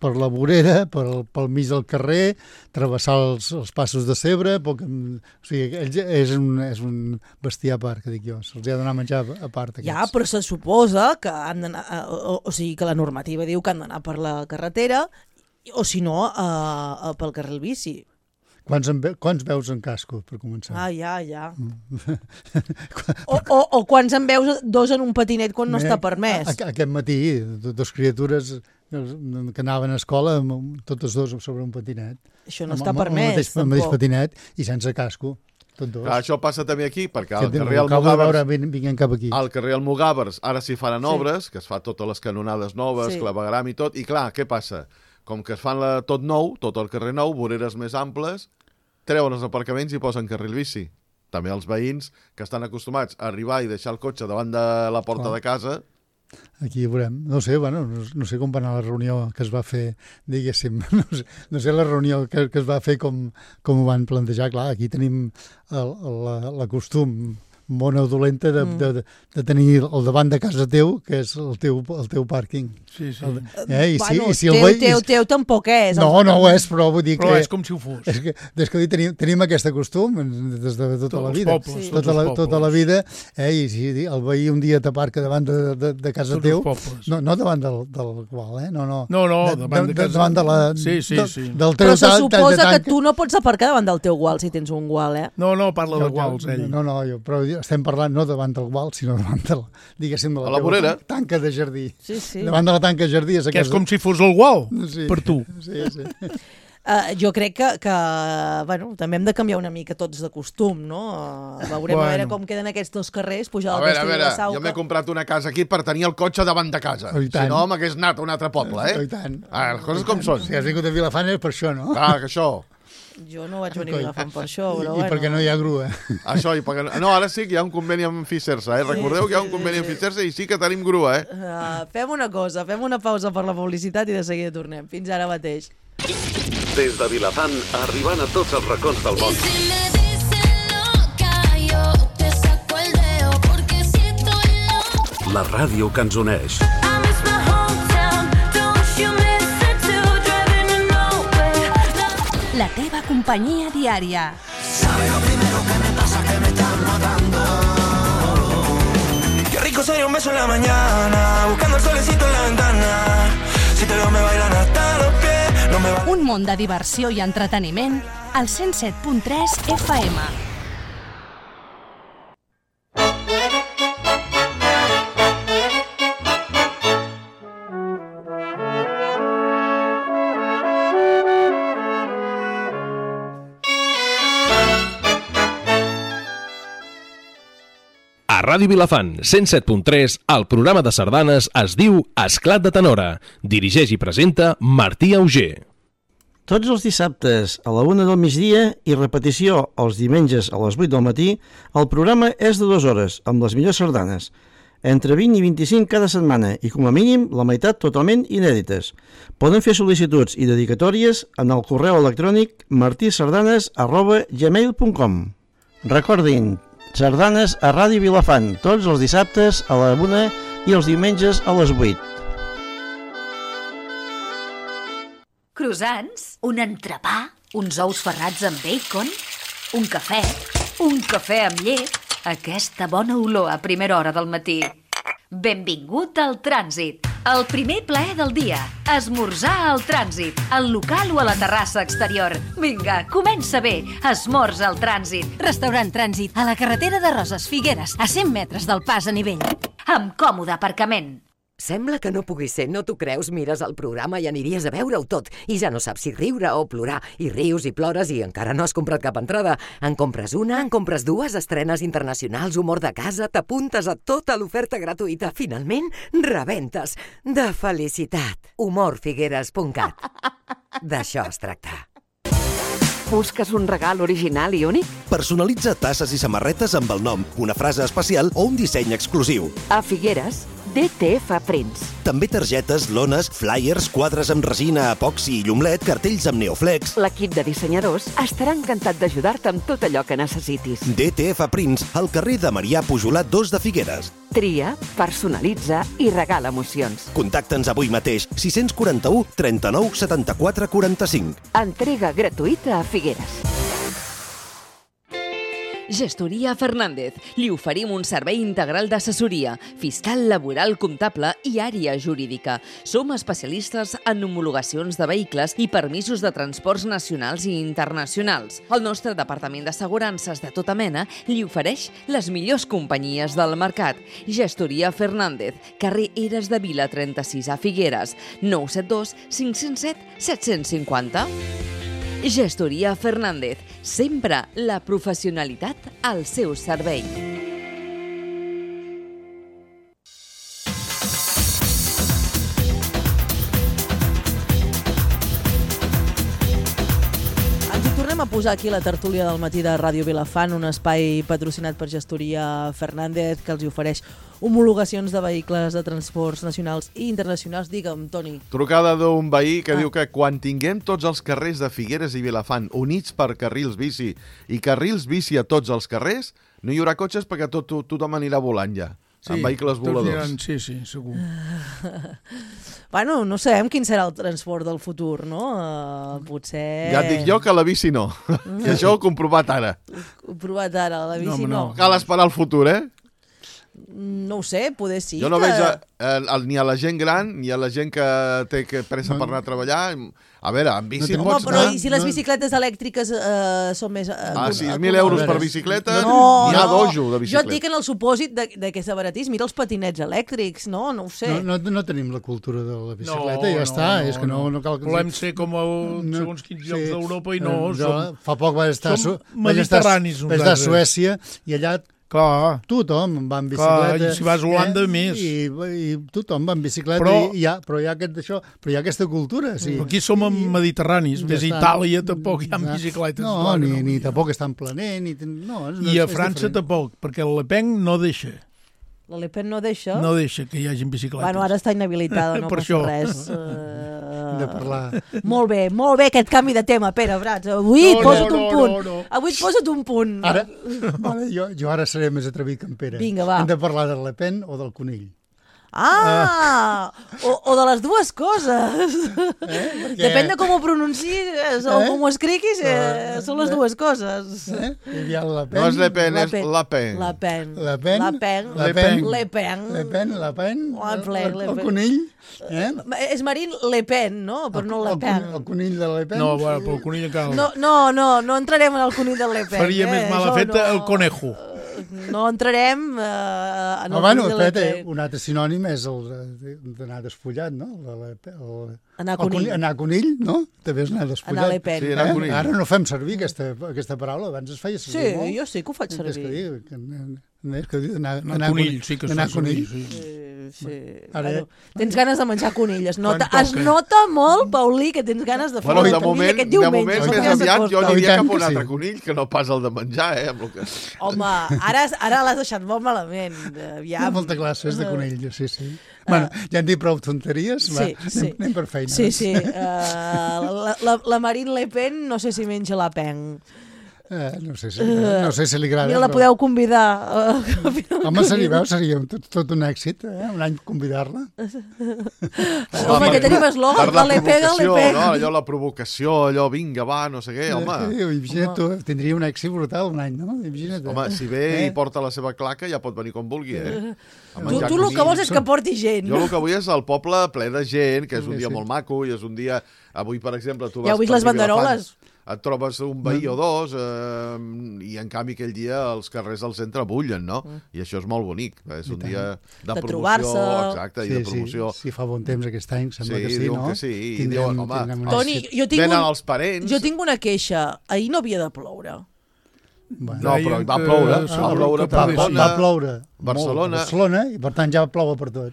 per la vorera, pel, pel mig del carrer, travessar els, els passos de cebre, poc, o sigui, ells és un, és un bestiar a part, que dic jo, se'ls ha de donar a menjar a part. Aquests. Ja, però se suposa que han d'anar... eh, O, o sigui, que la normativa diu que han d'anar per la carretera o, si no, uh, pel carril bici. Quants, en ve, quants veus en casco, per començar? Ah, ja, ja. O, o, o quants en veus dos en un patinet quan no Mira, està permès? a- a- Aquest matí, do- dos criatures que anaven a escola, amb- totes dos sobre un patinet. Això no Amb- està amb- amb el permès, mateix, amb el mateix tampoc. patinet i sense casco. Tot dos. Clar, això passa també aquí, perquè Sí, al carrer ho acabo de Almogàvers... veure vin- vinguent cap aquí. Al carrer Almogàvers ara s'hi faran Sí. obres, que es fa totes les canonades noves, Sí. sí. clavegram i tot, i clar, què passa? Com que es fan la, tot nou, tot el carrer nou, voreres més amples, treuen els aparcaments i posen carril bici. També els veïns que estan acostumats a arribar i deixar el cotxe davant de la porta Clar. de casa, Aquí veurem. No sé, bueno, no, no sé com va anar la reunió que es va fer, diguéssim. No sé, no sé la reunió que, que es va fer com, com ho van plantejar. Clar, aquí tenim el, el, la, la costum mona dolenta de, mm. de, de tenir el davant de casa teu, que és el teu, el teu pàrquing. Sí, sí. El, eh? I si, Bueno, i si el teu, veí- teu, teu tampoc és. No, no ho és, però vull dir Però que... és com si ho fos. És que, des que tenim, tenim aquest costum des de tota Tots la els vida. pobles, Sí. tots Tota la, els tota la pobles. vida, eh? I si el veí un dia t'aparca davant de, de, de casa Tots teu, els pobles. no, no davant del, del qual, eh? No, no. No, no, davant de casa. Davant de la... Sí, sí, de, sí. Del teu Però se ta- ta- suposa de que tanca. tu no pots aparcar davant del teu gual si tens un gual, eh? No, no, parla Jo- de guals, jo- ell. No, no, jo, però estem parlant no davant del gual, sinó davant de la, diguéssim, de la, A la teva vorera. tanca de jardí. Sí, sí. Davant de la tanca de jardí és Que és aquesta... com si fos el gual, Sí. per tu. Sí, sí. Uh, jo crec que, que bueno, també hem de canviar una mica tots de costum, no? Uh, veurem Bueno. a veure com queden aquests dos carrers, pujar a al veure, a castell de veure, la Sauca. jo m'he comprat una casa aquí per tenir el cotxe davant de casa. Oh, i Si tant. no, m'hagués anat a un altre poble, eh? Oh, i tant. Ah, les coses com són. Si has vingut a Vilafant és per això, no? Clar, que això... Jo no vaig venir a Vilafant per això, I, però I bueno. perquè no hi ha grua. Això, i perquè... No, ara sí que hi ha un conveni amb Ficersa, eh? Recordeu que hi ha un conveni amb Ficersa i sí que tenim grua, eh? Uh, fem una cosa, fem una pausa per la publicitat i de seguida tornem. Fins ara mateix. Des de Vilafant, arribant a tots els racons del món. Si me dicen loca, yo te saco el dedo, porque si estoy loca. La ràdio que ens uneix. I miss my hometown, don't you miss it too, driving to nowhere. La teva companyia diària. Qué rico sería un beso en la mañana, buscando el solecito en la ventana. Si te veo me bailan hasta los pies, no me va... Un món de diversió i entreteniment al cent set punt tres F M. A Ràdio Vilafant, cent set punt tres, el programa de sardanes es diu Esclat de Tenora. Dirigeix i presenta Martí Auger. Tots els dissabtes a la una del migdia i repetició els diumenges a les vuit del matí, el programa és de dues hores, amb les millors sardanes. Entre vint i vint-i-cinc cada setmana i, com a mínim, la meitat totalment inèdites. Poden fer sol·licituds i dedicatòries en el correu electrònic martisardanes arroba gmail punt com. Recordin, sardanes a Ràdio Vilafant, tots els dissabtes a la una i els diumenges a les vuit. croissants, un entrepà, uns ous ferrats amb bacon, un cafè, un cafè amb llet, aquesta bona olor a primera hora del matí. Benvingut al Trànsit, el primer plaer del dia. Esmorzar al Trànsit, al local o a la terrassa exterior. Vinga, comença bé, esmorza al Trànsit. Restaurant Trànsit, a la carretera de Roses Figueres, a cent metres del pas a nivell. Amb còmode aparcament. Sembla que no pugui ser, no t'ho creus? Mires el programa i aniries a veure-ho tot. I ja no saps si riure o plorar. I rius i plores i encara no has comprat cap entrada. En compres una, en compres dues, estrenes internacionals, humor de casa, t'apuntes a tota l'oferta gratuïta. Finalment, rebentes. De felicitat. humor figueres punt cat. D'això es tracta. Busques un regal original i únic? Personalitza tasses i samarretes amb el nom, una frase especial o un disseny exclusiu. A Figueres, D T F Prints. També targetes, lones, flyers, quadres amb resina, epoxi i llumlet, cartells amb neoflex. L'equip de dissenyadors estarà encantat d'ajudar-te amb tot allò que necessitis. D T F Prints, al carrer de Marià Pujolat dos de Figueres. Tria, personalitza i regala emocions. Contacta'ns avui mateix, sis quatre u, trenta-nou, setanta-quatre, quaranta-cinc. Entrega gratuïta a Figueres. Gestoria Fernández. Li oferim un servei integral d'assessoria, fiscal, laboral, comptable i àrea jurídica. Som especialistes en homologacions de vehicles i permisos de transports nacionals i internacionals. El nostre departament d'assegurances de tota mena li ofereix les millors companyies del mercat. Gestoria Fernández, carrer Eres de Vila trenta-sis a Figueres, nou set dos, cinc zero set, set cinc zero. Gestoria Fernández, sempre la professionalitat al seu servei. Ens hi tornem a posar aquí la tertúlia del matí de Ràdio Vilafant, un espai patrocinat per Gestoria Fernández que els hi ofereix homologacions de vehicles de transports nacionals i internacionals. Digue'm, Toni. Trucada d'un veí que Ah. diu que quan tinguem tots els carrers de Figueres i Vilafant units per carrils bici i carrils bici a tots els carrers, no hi haurà cotxes perquè tot, tot, tothom anirà volant ja, Sí, amb vehicles tots voladors. aniran- sí, sí, segur. Bueno, no sabem quin serà el transport del futur, no? Uh, potser... Ja et dic jo que la bici no. I això ho he comprovat ara. Ho he provat ara, la bici no. no. Cal esperar el futur, eh? No ho sé, poder sí. Jo no que... veig a, a, a, ni a la gent gran ni a la gent que té que pressa per anar a treballar. A veure, amb bici No, pots però anar... i si les bicicletes elèctriques eh, són més... Eh, A sis mil euros per bicicleta, no, n'hi ha no. dojo de Jo bicicleta. et dic en el supòsit de, de que s'abaratís. Mira els patinets elèctrics, no? No ho sé. No, no, no tenim la cultura de la bicicleta, No, i ja no, està. no, és que no, no cal que... Volem ser com a segons quins llocs d'Europa i no, Jo, som- fa poc vaig estar, som su- vaig estar, mediterranis vaig estar a nosaltres. Suècia i allà Clar. tothom va en Clar, bicicleta. i si vas a Holanda, més. I, i tothom va en bicicleta, Però- i, i ja, però hi ha, aquest, això, però hi ha aquesta cultura. Sí. Aquí som mediterranis, Ja ves a està. Itàlia tampoc hi ha Ja. bicicletes. No, clar que ni, no. ni tampoc estan planer, ni... No, és, I a és França diferent. tampoc, perquè el Le Pen no deixa. La Le Pen no deixa? No deixa que hi hagi bicicletes. Bueno, ara està inhabilitada, no Per passa això. res. Uh... De parlar. Molt bé, molt bé aquest canvi de tema, Pere Brats. Avui No, et posa't no, un no, punt. no, no. Avui et posa't un punt. Ara, vale, jo, jo ara seré més atrevit que en Pere. Vinga, va. Hem de parlar del Le Pen o del conill. Ah! O, o de les dues coses. Perquè- Depèn de com ho pronuncis o Eh? com ho escriguis, eh, són les dues coses. Eh? Hi havia el Le Pen. No és Le Pen, és Pen. La Pen. La Pen. Le Pen. La Pen. Le Pen. Le Pen. Le Pen, La Pen. La Pen, el, Le el Pen. conill. Eh? És Marine Le Pen, no? Però no Le El, Pen. con- el conill de Le Pen. No, bueno, però el conill encara No, no, no, no entrarem en el conill del Le Pen. Faria eh? més mala Això feta no. el conejo. No entrarem eh, en el No, bueno, conill del Le espera't, Pen. un altre sinònim és el de- d'anar despullat, no? El, el, Anar el conill. conill. Anar conill, no? També és anar despullat. Anar Le Pen. Sí, anar Eh? conill. Ara no fem servir aquesta, aquesta paraula, abans es feia servir Sí, molt. jo sí que ho faig És servir. que diu, que, és que diu anar, Anar anar conill, sí que es anar fa servir, conill. sí. Sí, sí. Ara- Bueno, tens ganes de menjar conill. Es nota, Quan es toca. nota molt, Paulí, que tens ganes de fer Bueno, una de conill moment, aquest de diumenge. moment saps més que ja aviat jo s'acosta. aniria I tant cap a un que altre sí. conill que no pas el de menjar, eh? Amb el que... Home, ara, ara l'has deixat molt malament. Hi Aviam. ha molta classe, és de conill, sí, sí. Bueno, ja hem dit prou tonteries, va, Sí, sí. anem, anem per feina. Sí, sí. Uh, la, la, la Marine Le Pen no sé si menja la pen. Eh, no sé si, no sé si li agrada. Mira, la però- podeu convidar. Uh, Home, seria, veu, seria tot, tot un èxit, eh? Un any convidar-la. Home, que tenim eslògan, Per la le pega, le provocació, pega. no? Allò, la provocació, allò, vinga, va, no sé què, home. Eh, imagina't tu, tindria un èxit brutal un any, no? Imagina't. Home, si ve eh? i porta la seva claca, ja pot venir com vulgui, eh? A Tu, menjar tu el que conill. vols és que porti gent. Jo el que vull és el poble ple de gent, que és un Sí, dia sí. molt maco, i és un dia... Avui, per exemple, tu Ja vas heu vist per les banderoles? Vilafant, et trobes un veí o dos, eh, i en canvi aquell dia els carrers del centre bullen, no? I això és molt bonic. És un dia de, De promoció, trobar-se. exacte, i de promoció. Sí, si fa bon temps aquest any, sembla Sí, que sí, diuen no? que sí, i Tindrem, diuen, home, tindrem un Toni, èxit. jo tinc, Venen un, els parents. jo tinc una queixa. Ahir no havia de ploure. Bueno, No, però va que- ploure, que- va ploure a que va, va, Tarragona, va ploure Barcelona. molt a Barcelona, i per tant ja ploure per tot.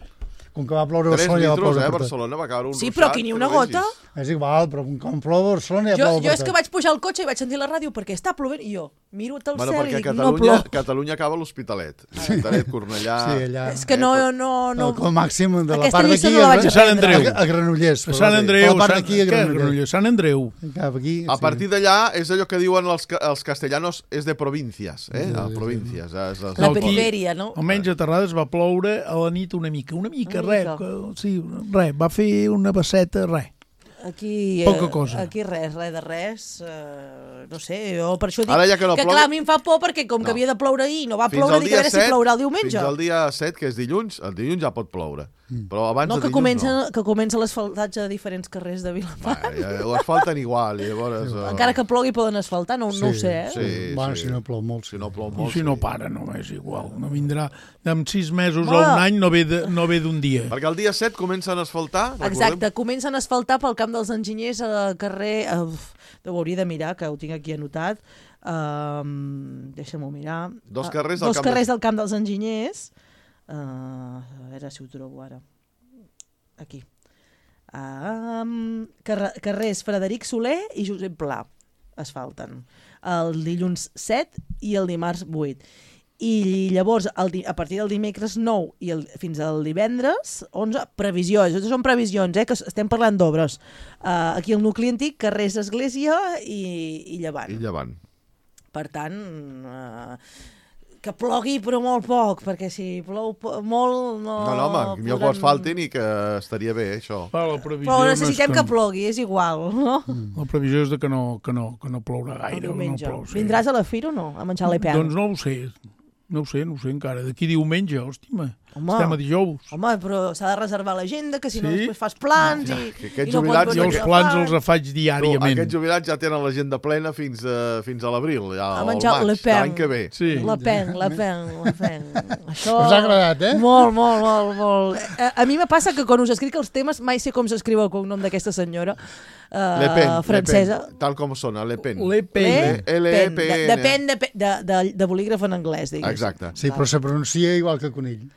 Com que va ploure a Tres Barcelona, ja va litres, ploure eh? per tot. Barcelona va caure un Sí, ruixat. però aquí ni que una no gota. vegis. És igual, però com plou a Barcelona ja Jo, plou jo per és que tot. vaig pujar al cotxe i vaig sentir la ràdio perquè està plovent i jo miro el Bueno, cel i perquè dic, a no Catalunya, plou. Catalunya acaba l'Hospitalet. L'Hospitalet, Cornellà... Sí, allà. És que no... no, no... Com a màxim de la Aquesta part llista d'aquí no la a, vaig A Sant aprendre. Andreu. a, a Granollers. A Sant Andreu. A la part Sant- d'aquí a què, Granollers. Granollers? Sant Andreu. Cap aquí, A sí. partir d'allà és allò que diuen els, ca- els castellanos, és de províncias, eh? Sí, A sí, províncias. És, és, La No, aquí- perifèria, no? Almenys a Terrades va ploure a la nit una mica, una mica, Una res, mica. que- sí, res, va fer una basseta, res. Aquí, Poca eh, cosa. Aquí res, res de res. Eh, no sé, jo per això dic Ara ja que no que plou- clar, a mi em fa por perquè com que No. havia de ploure ahir i no va Fins ploure, al dic a dia veure si set, plourà el diumenge. Fins al dia set, que és dilluns, el dilluns ja pot ploure. Però abans No, de que dilluns comença, no. que comença l'asfaltatge de diferents carrers de Vilafant. Va, ja, ho asfalten igual, i llavors... Uh... Encara que plogui poden asfaltar, no, no ho sé, eh? Sí, Bueno, sí. si no plou molt. Si no plou I molt, si no sí. para, no és igual. No vindrà en sis mesos o Home. un any, no ve de- no ve d'un dia. Perquè el dia set comencen a asfaltar, recordem? Exacte, comencen a asfaltar pel camp dels enginyers al carrer... Uf, ho hauria de mirar, que ho tinc aquí anotat. Um, Deixa-m'ho mirar. Dos Ah, carrers del dos camp carrers dels- del camp dels enginyers. Uh, a veure si ho trobo ara. Aquí. Um, carre carrers Frederic Soler i Josep Pla asfalten. El dilluns set i el dimarts vuit. I llavors, el di a partir del dimecres nou i el, fins al divendres onze, previsions, això són previsions, eh, que s- estem parlant d'obres. Uh, aquí al nucli antic, carrers Església i, i Llevant. I llevant. Per tant, uh, que plogui però molt poc, perquè si plou po molt no... No, no, home, millor que ho asfaltin i que estaria bé, això. Ah, la previsió Però no és necessitem que... que plogui, és igual, no? La previsió és de que no, que no, que no plourà El gaire. diumenge. No plou, sí. Vindràs a la fira o no? A menjar l'E P A? Doncs no ho sé. No ho sé, no ho sé encara. D'aquí diumenge, hòstima. Home. Estem a dijous. Home, però s'ha de reservar l'agenda, que si no Sí? després fas plans Ja, i, que aquests i no jubilats- pots Jo venir els a plans fan. els faig Tu, diàriament. aquests jubilats ja tenen l'agenda plena fins a, fins a l'abril, ja, A o al menjar maig, Le de Pen. l'any que ve. Sí. La pen, la pen, la pen. Això... Us ha agradat, eh? Molt, molt, molt, molt. A, a mi me passa que quan us escric els temes mai sé com s'escriu el cognom d'aquesta senyora uh, Le Pen, francesa. Le Pen, tal com sona, Le Pen. Le Pen. Le L E P Pen. N. De- Depèn de, de, de, de bolígraf en anglès, diguéssim. Exacte. Sí, però se pronuncia igual que conill.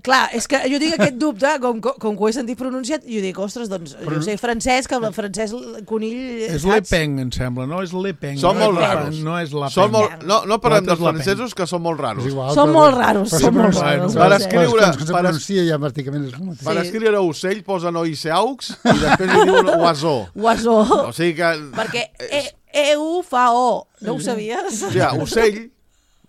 Clar, és que jo tinc aquest dubte, com, com, com que ho he sentit pronunciat, i jo dic, ostres, doncs, Però- jo sé francès, que el francès el conill... És saps? Le Pen, em sembla, no és Le Pen. Són no molt és la raros. Pen, No és la Són Pen. molt, no, no parlem L'altre dels és la Pen. francesos, que són molt raros. És igual, Són però- molt raros, però són se molt pronuncia- raros. Per no sé. escriure- quan se per es- pronuncia ja pràcticament és el mateix. Per Sí. escriure ocell posen oiseaux i després li diuen oiseau. Oiseau. O sigui que... Perquè E, e U fa O, no ho sabies? O sigui, ocell,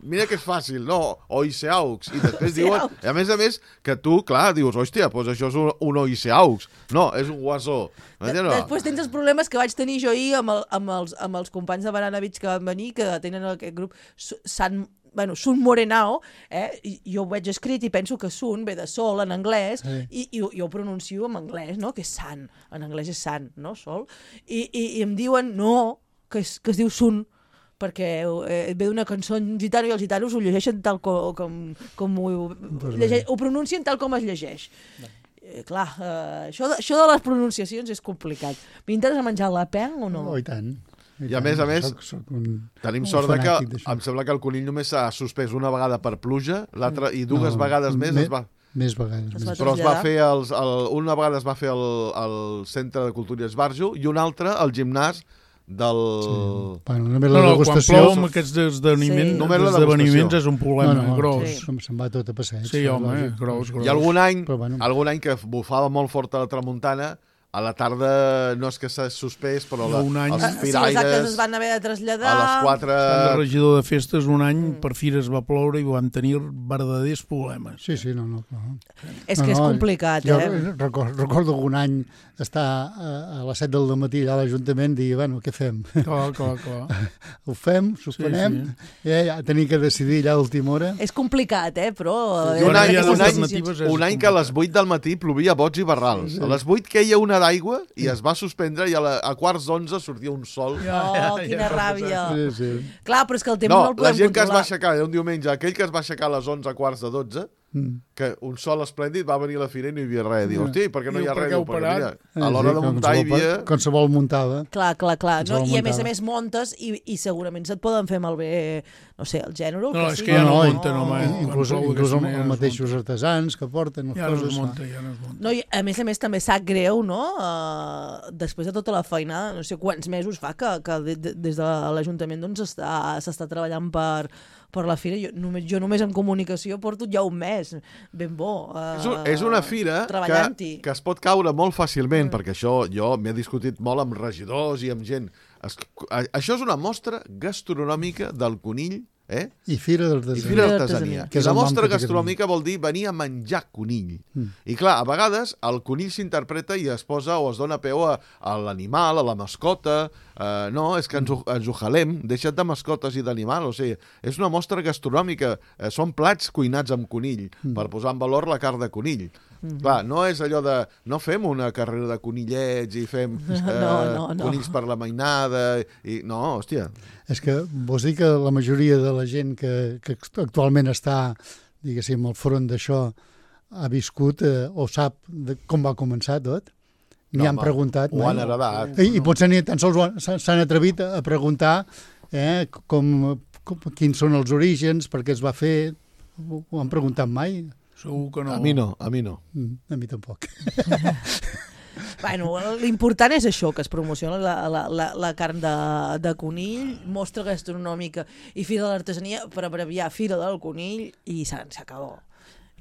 mira que és fàcil, no? Oiseaux. I després diuen... I a més a més, que tu, clar, dius, hòstia, doncs això és un, un oiseaux. No, és un oiseau. De, després tens els problemes que vaig tenir jo ahir amb, el, amb, els, amb els companys de Banana Beach que van venir, que tenen aquest grup Su- Sant bueno, Sun Morenao, eh? I jo ho veig escrit i penso que Sun ve de sol en anglès, Sí. i, i jo ho pronuncio en anglès, no? Que és sant, en anglès és sant, no? Sol. I, i, i em diuen no, que es, que es diu Sun, perquè eh, ve d'una cançó en gitano i els gitanos ho llegeixen tal com, com, com ho, Doncs bé. llegeix, ho pronuncien tal com es llegeix. Eh, clar, eh, això, de, això de les pronunciacions és complicat. M'interessa menjar la pen o no? Oh, i tant. I a més a més, soc, soc un, tenim un sort de que fanàtic d'això. em sembla que el conill només s'ha suspès una vegada per pluja, l'altra i dues No, vegades més me- es va... Més vegades. Es Més. va Però es va traslladar. fer els, el, una vegada es va fer el, el Centre de Cultura i Esbarjo i una altra al gimnàs del... Sí. Bueno, només No, la no, quan degustació... plou amb aquests esdeveniments, Sí. Només la esdeveniments degustació. és un problema no, no, gros. Sí. Se'n se'n va tot a passeig. Sí, home, lògic. gros, gros. I algun any, Però bueno. algun any que bufava molt fort a la tramuntana, a la tarda no és que s'ha suspès, però la, un any. els Sí, els firaires... actes es van haver de traslladar. A les quatre... El regidor de festes un any per fires va ploure i vam tenir verdaders problemes. Sí, sí, no, no. no. És no, que és no, complicat, jo eh? Recordo, recordo algun any estar a, a les set del matí allà a l'Ajuntament i dir, bueno, què fem? Clar, clar, clar. Ho fem, suspenem, sí, sí. Eh, ja tenim que decidir allà a última hora. És complicat, eh? Però... I un any, un, any, un any que a les vuit del matí plovia bots i barrals. A les vuit queia una d'aigua i es va suspendre i a, la, a quarts d'onze sortia un sol. Oh, quina ràbia. Sí, sí. Clar, però és que el temps no, no el podem la gent que es va controlar. aixecar un diumenge, aquell que es va aixecar a les onze, quarts de dotze, mm. que un sol esplèndid va venir a la fira i no hi havia res. Diu, hosti, per què no hi ha res? Diu, perquè mira, a l'hora de muntar hi havia... Qualsevol muntava. Clar, clar, clar. No? I a més a muntava. més montes i, i segurament se't poden fer malbé, no sé, el gènere. No, que és sí. que ja no, no, munten, no, home. Inclús, inclús els, els mateixos artesans que porten les ja coses. No es munta, ja no es munta. No, i a més a més també sap greu, no? Uh, després de tota la feina, no sé quants mesos fa que, que de, de, des de l'Ajuntament doncs, s'està treballant per, per la fira. Jo només, jo només en comunicació porto ja un mes, ben bo. Uh, és, un, és una fira que, que es pot caure molt fàcilment, mm. perquè això jo m'he discutit molt amb regidors i amb gent. Es, això és una mostra gastronòmica del conill, eh? I fira d'artesania. I fira d'artesania. I la mostra gastronòmica vol dir venir a menjar conill. Mm. I clar, a vegades el conill s'interpreta i es posa o es dona peu a, a l'animal, a la mascota. Uh, no, és que ens ho, ens ho jalem. Deixa't de mascotes i d'animal. O sigui, és una mostra gastronòmica. Uh, són plats cuinats amb conill, mm. per posar en valor la carn de conill. Mm. Clar, no és allò de... No fem una carrera de conillets i fem uh, no, no, no. conills per la mainada. I... No, hòstia. És que vols dir que la majoria de la gent que, que actualment està, diguéssim, al front d'això ha viscut eh, o sap de com va començar tot? N'hi No, han home, preguntat. ho han heredat. I, i potser ni tan sols ho han- s'han s'han atrevit a preguntar eh, com, com, quins són els orígens, per què es va fer. Ho, ho han preguntat mai? Segur que no. A mi no, a mi no. Mm, a mi tampoc. Bueno, l'important és això, que es promociona la, la, la, la carn de, de conill, mostra gastronòmica i Fira de l'Artesania, per abreviar Fira del Conill, i s'acabó.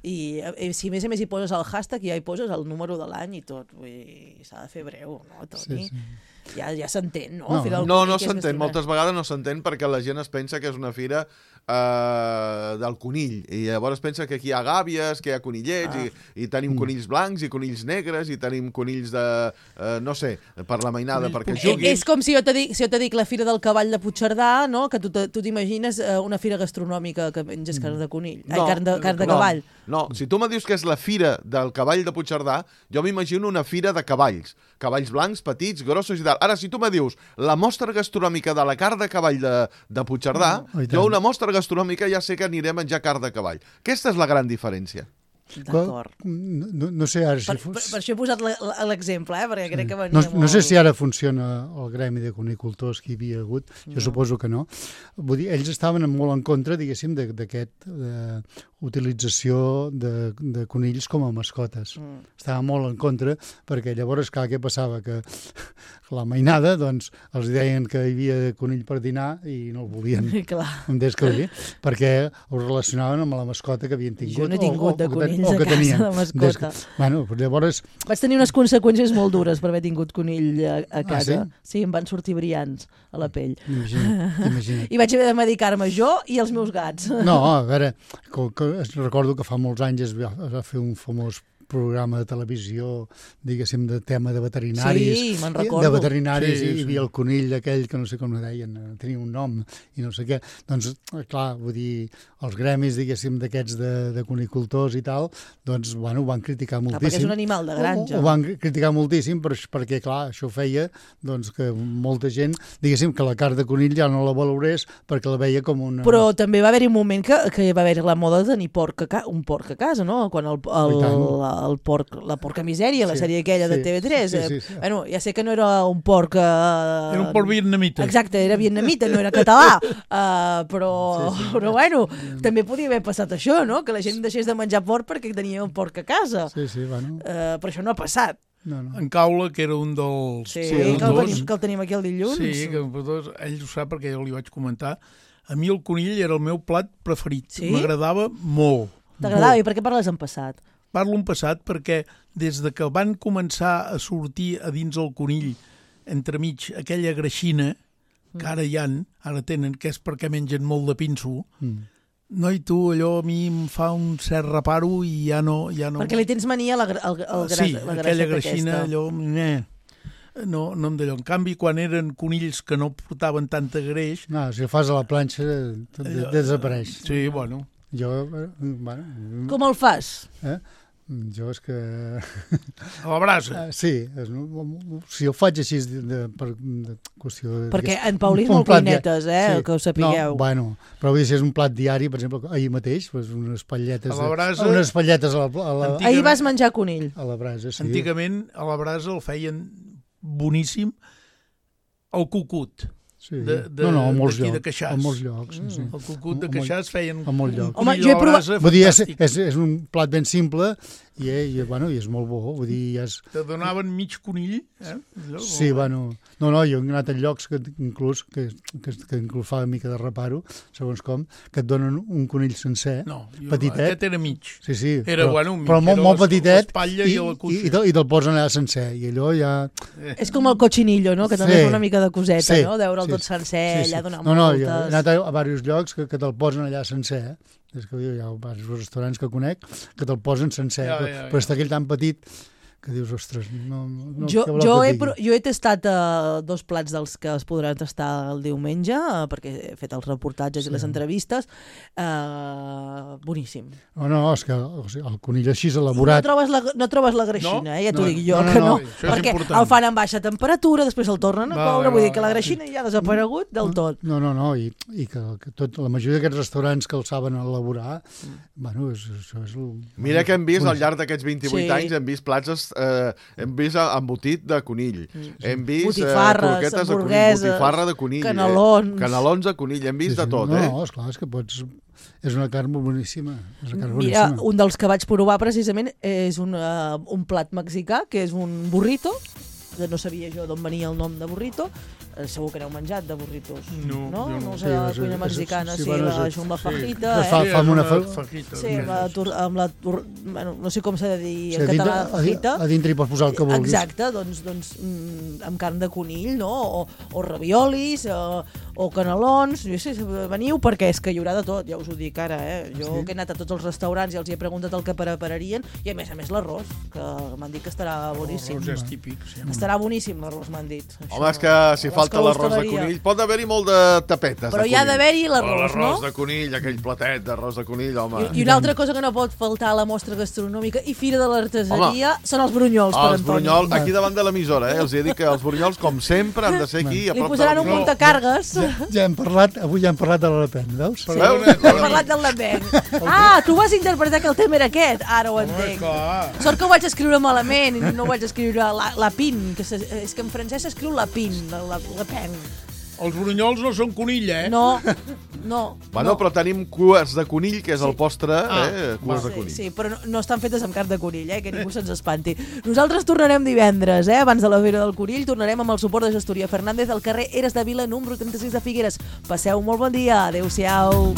I, i si a més a més hi poses el hashtag, ja hi poses el número de l'any i tot. Vull dir, s'ha de fer breu, no, Toni? Sí, sí. Ja, ja s'entén, no? No, Fira del no, Conill, no que és s'entén. gastronomia. Moltes vegades no s'entén perquè la gent es pensa que és una fira eh, del conill. I llavors pensa que aquí hi ha gàbies, que hi ha conillets, Ah. i, i tenim Mm. conills blancs i conills negres, i tenim conills de, eh, no sé, per la mainada, perquè Eh, juguin. És com si jo te dic, si jo te dic la Fira del Cavall de Puigcerdà, no? Que tu te- tu t'imagines eh, una fira gastronòmica que menges carn de conill, ai, carn de, carn de no, cavall. No, si tu me dius que és la fira del cavall de Puigcerdà, jo m'imagino una fira de cavalls. Cavalls blancs, petits, grossos i tal. Ara, si tu me dius la mostra gastronòmica de la carn de cavall de, de Puigcerdà, Oh, i tant. jo una mostra gastronòmica ja sé que aniré a menjar carn de cavall. Aquesta és la gran diferència. D'acord. No, no sé ara si... Per, fos- per, per això he posat la- l'exemple, eh? Perquè crec que venia No, molt... no sé si ara funciona el gremi de conicultors que hi havia hagut, jo No. suposo que no. Vull dir, ells estaven molt en contra, diguéssim, de- d'aquest eh, utilització de, de conills com a mascotes. Mm. Estaven molt en contra, perquè llavors, clar, què passava? Que la mainada, doncs, els deien que hi havia conill per dinar i no el volien. Clar. Em des que dir, perquè ho relacionaven amb la mascota que havien tingut. Jo no he tingut de o, o, que ten- conills o que a casa tenien. de mascota. Des que- Bueno, però llavors... Vaig tenir unes conseqüències molt dures per haver tingut conill a, a casa. sí? Sí, em van sortir brillants a la pell. Imagina't, imagina't. I vaig haver de medicar-me jo i els meus gats. No, a veure, que, que, recordo que fa molts anys es va, es va fer un famós programa de televisió, diguéssim, de tema de veterinaris. Sí, me'n De recordo. veterinaris, Sí, i sí. hi havia el conill aquell que no sé com ho deien, eh, tenia un nom i no sé què. Doncs, eh, clar, vull dir, els gremis, diguéssim, d'aquests de, de conicultors i tal, doncs, bueno, ho van criticar Clar, moltíssim. perquè és un animal de granja. Ho, ho van criticar moltíssim per, perquè, clar, això feia doncs, que molta gent, diguéssim, que la carn de conill ja no la valorés perquè la veia com una... Però també va haver-hi un moment que, que va haver-hi la moda de tenir porc a ca un porc a casa, no? Quan el, el, I tant. el, el porc, la porca misèria, la Sí, sèrie aquella de sí, T V tres. sí, sí, sí. Eh? Bueno, ja sé que no era un porc... Eh... Era un porc vietnamita. Exacte, era vietnamita, no era català. Uh, però, Sí, sí. però bueno, també podia haver passat això, no? Que la gent deixés de menjar porc perquè tenia un porc a casa. Sí, sí, bueno. Uh, però això no ha passat. No, no. En Caula, que era un dels... Sí, dels que, el dos. tenim, que el tenim aquí el dilluns. Sí, que dos, ell ho sap perquè jo li vaig comentar. A mi el conill era el meu plat preferit. Sí? M'agradava molt. T'agradava? molt. I per què parles en passat? parlo en passat perquè des de que van començar a sortir a dins el conill, entremig, aquella greixina, que ara hi han, ara tenen, que és perquè mengen molt de pinso, Mm. no, i tu, allò a mi em fa un cert reparo i ja no... Ja no... Perquè li tens mania a la, gra- al, al, Sí, la aquella graixeta greixina, aquesta. allò... Eh, no, no em d'allò. En canvi, quan eren conills que no portaven tanta greix... No, si ho fas a la planxa, tot Allò- desapareix. Sí, bueno. Jo, eh, bueno... Com el fas? Eh? Jo és que... A la brasa? Uh, sí, és, si ho faig així de, de, per de qüestió... De, Perquè digués, en Paulí és un molt plat cuinetes, dia- eh, que ho sapigueu. No, bueno, però vull dir, si és un plat diari, per exemple, ahir mateix, doncs unes espatlletes... A la brasa- De, unes espatlletes a la, a la... Ahir vas menjar conill. A la brasa, sí. Antigament, a la brasa el feien boníssim el cucut. Sí. De, de, no, no, a molts d'aquí llocs. de Queixàs. A molts llocs, sí, sí. El cucut de A molt- Queixàs feien a molts llocs. un conill a la brasa Vull dir, és, fantàstic. és, és un plat ben simple i, i, bueno, i és molt bo. Vull dir, ja és... Te donaven mig conill, eh? Allò, Sí, bueno, no, no, jo he anat en llocs que inclús, que, que, que inclús fa una mica de reparo, segons com, que et donen un conill sencer, No, jo- petitet. aquest era mig. Sí, sí, Era, però, bueno, mig, però molt, era molt les- petitet l'espatlla i, i la i, cuixa. i, te'l, i te'l posen allà sencer, i allò ja... És com el cochinillo, no? Que també Sí. fa una mica de coseta, Sí, no? Deure'l sí, tot sencer, sí, sí. allà donar no, no, moltes... jo he anat a, a diversos llocs que, que te'l posen allà sencer, eh? És que hi ha diversos restaurants que conec que te'l posen sencer, Ja, però, ja, ja. però està aquell tan petit que dius, ostres, no... no Jo, què voleu jo, que he, et digui? pro- jo he tastat uh, dos plats dels que es podran tastar el diumenge, uh, perquè he fet els reportatges Sí. i les entrevistes. Uh, boníssim. No, no, és que o sigui, el conill així No elaborat... trobes la, no trobes la greixina, No? eh? Ja t'ho No, dic jo, no, no, que no, no. això és perquè important. el fan amb baixa temperatura, després el tornen a Vale, coure, vull dir vale, que la vale. greixina ja ha desaparegut del tot. No, no, no, i, i que, que tot, la majoria d'aquests restaurants que el saben elaborar, bueno, és, això és... El, Mira que hem vist al boníssim. llarg d'aquests vint-i-vuit Sí. anys, hem vist plats, eh, hem vist embotit de conill, hem vist eh, Botifarres, croquetes de conill, hamburgueses, botifarra de conill, canelons. Eh, canelons de conill, hem vist Sí, sí. de tot, no, eh? No, esclar, és que pots... És una carn molt boníssima. És una carn Mira, boníssima. un dels que vaig provar precisament és un, uh, un plat mexicà, que és un burrito, que no sabia jo d'on venia el nom de burrito. Eh, segur que n'heu menjat de burritos. No, no? jo no. No Sí, sé, la és- cuina és- mexicana, sí, sí, bueno, la, és- amb la sí. fajita, Es fa- eh? fa amb una fa- fajita. Sí, amb la, tur- amb la tur- bueno, no sé com s'ha de dir Sí, en a dintre- català, a di- fajita. a dintre hi pots posar el que vulguis. Exacte, doncs, doncs mm, amb carn de conill, no? O, o raviolis, o, o canelons, jo sé, veniu perquè és que hi haurà de tot, ja us ho dic ara, eh? Jo Sí? que he anat a tots els restaurants i els hi he preguntat el que prepararien, i a més a més l'arròs, que m'han dit que estarà boníssim. L'arròs és típic, sí. Estarà boníssim l'arròs, m'han dit. Home, és que si Les falta que l'arròs de l'hostaleria. conill, pot haver-hi molt de tapetes Però de hi ha conill. d'haver-hi Oh, l'arròs, no? L'arròs de conill, aquell platet d'arròs de conill, home. I, I una altra cosa que no pot faltar a la mostra gastronòmica i Fira de l'Artesaria són els brunyols, per Els Antoni. brunyols, aquí davant de l'emissora, eh? Els he dit que els brunyols, com sempre, han de ser aquí, a Li prop de posaran un l'emissora. muntacargues. Ja, ja hem parlat, avui ja hem parlat de la Le Pen, veus? Sí, hem parlat del Lambenc. Ah, tu vas interpretar que el tema era aquest. Ara ho entenc. Sort que ho vaig escriure malament i no ho vaig escriure la, la pin, que se, és que en francès s'escriu la pin, la, la, la pen. Els brunyols no són conill, eh? No, no. Bueno, no. però tenim cues de conill, que és el postre, Ah, eh? Cues de Sí, conill. sí, però no, no estan fetes amb carn de conill, eh? Que ningú se'ns espanti. Nosaltres tornarem divendres, eh? Abans de la Fira del Conill, tornarem amb el suport de Gestoria Fernández al carrer Eres de Vila, número trenta-sis de Figueres. Passeu un molt bon dia. Adéu-siau.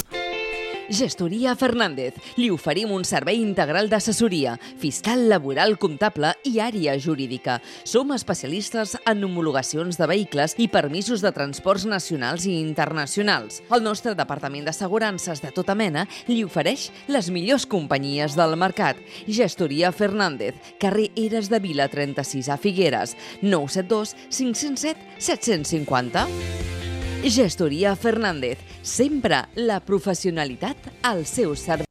Gestoria Fernández. Li oferim un servei integral d'assessoria, fiscal, laboral, comptable i àrea jurídica. Som especialistes en homologacions de vehicles i permisos de transports nacionals i internacionals. El nostre departament d'assegurances de tota mena li ofereix les millors companyies del mercat. Gestoria Fernández, carrer Eres de Vila trenta-sis a Figueres, nou set dos cinc zero set set cinc zero. Gestoria Fernández, sempre la professionalitat al seu servei.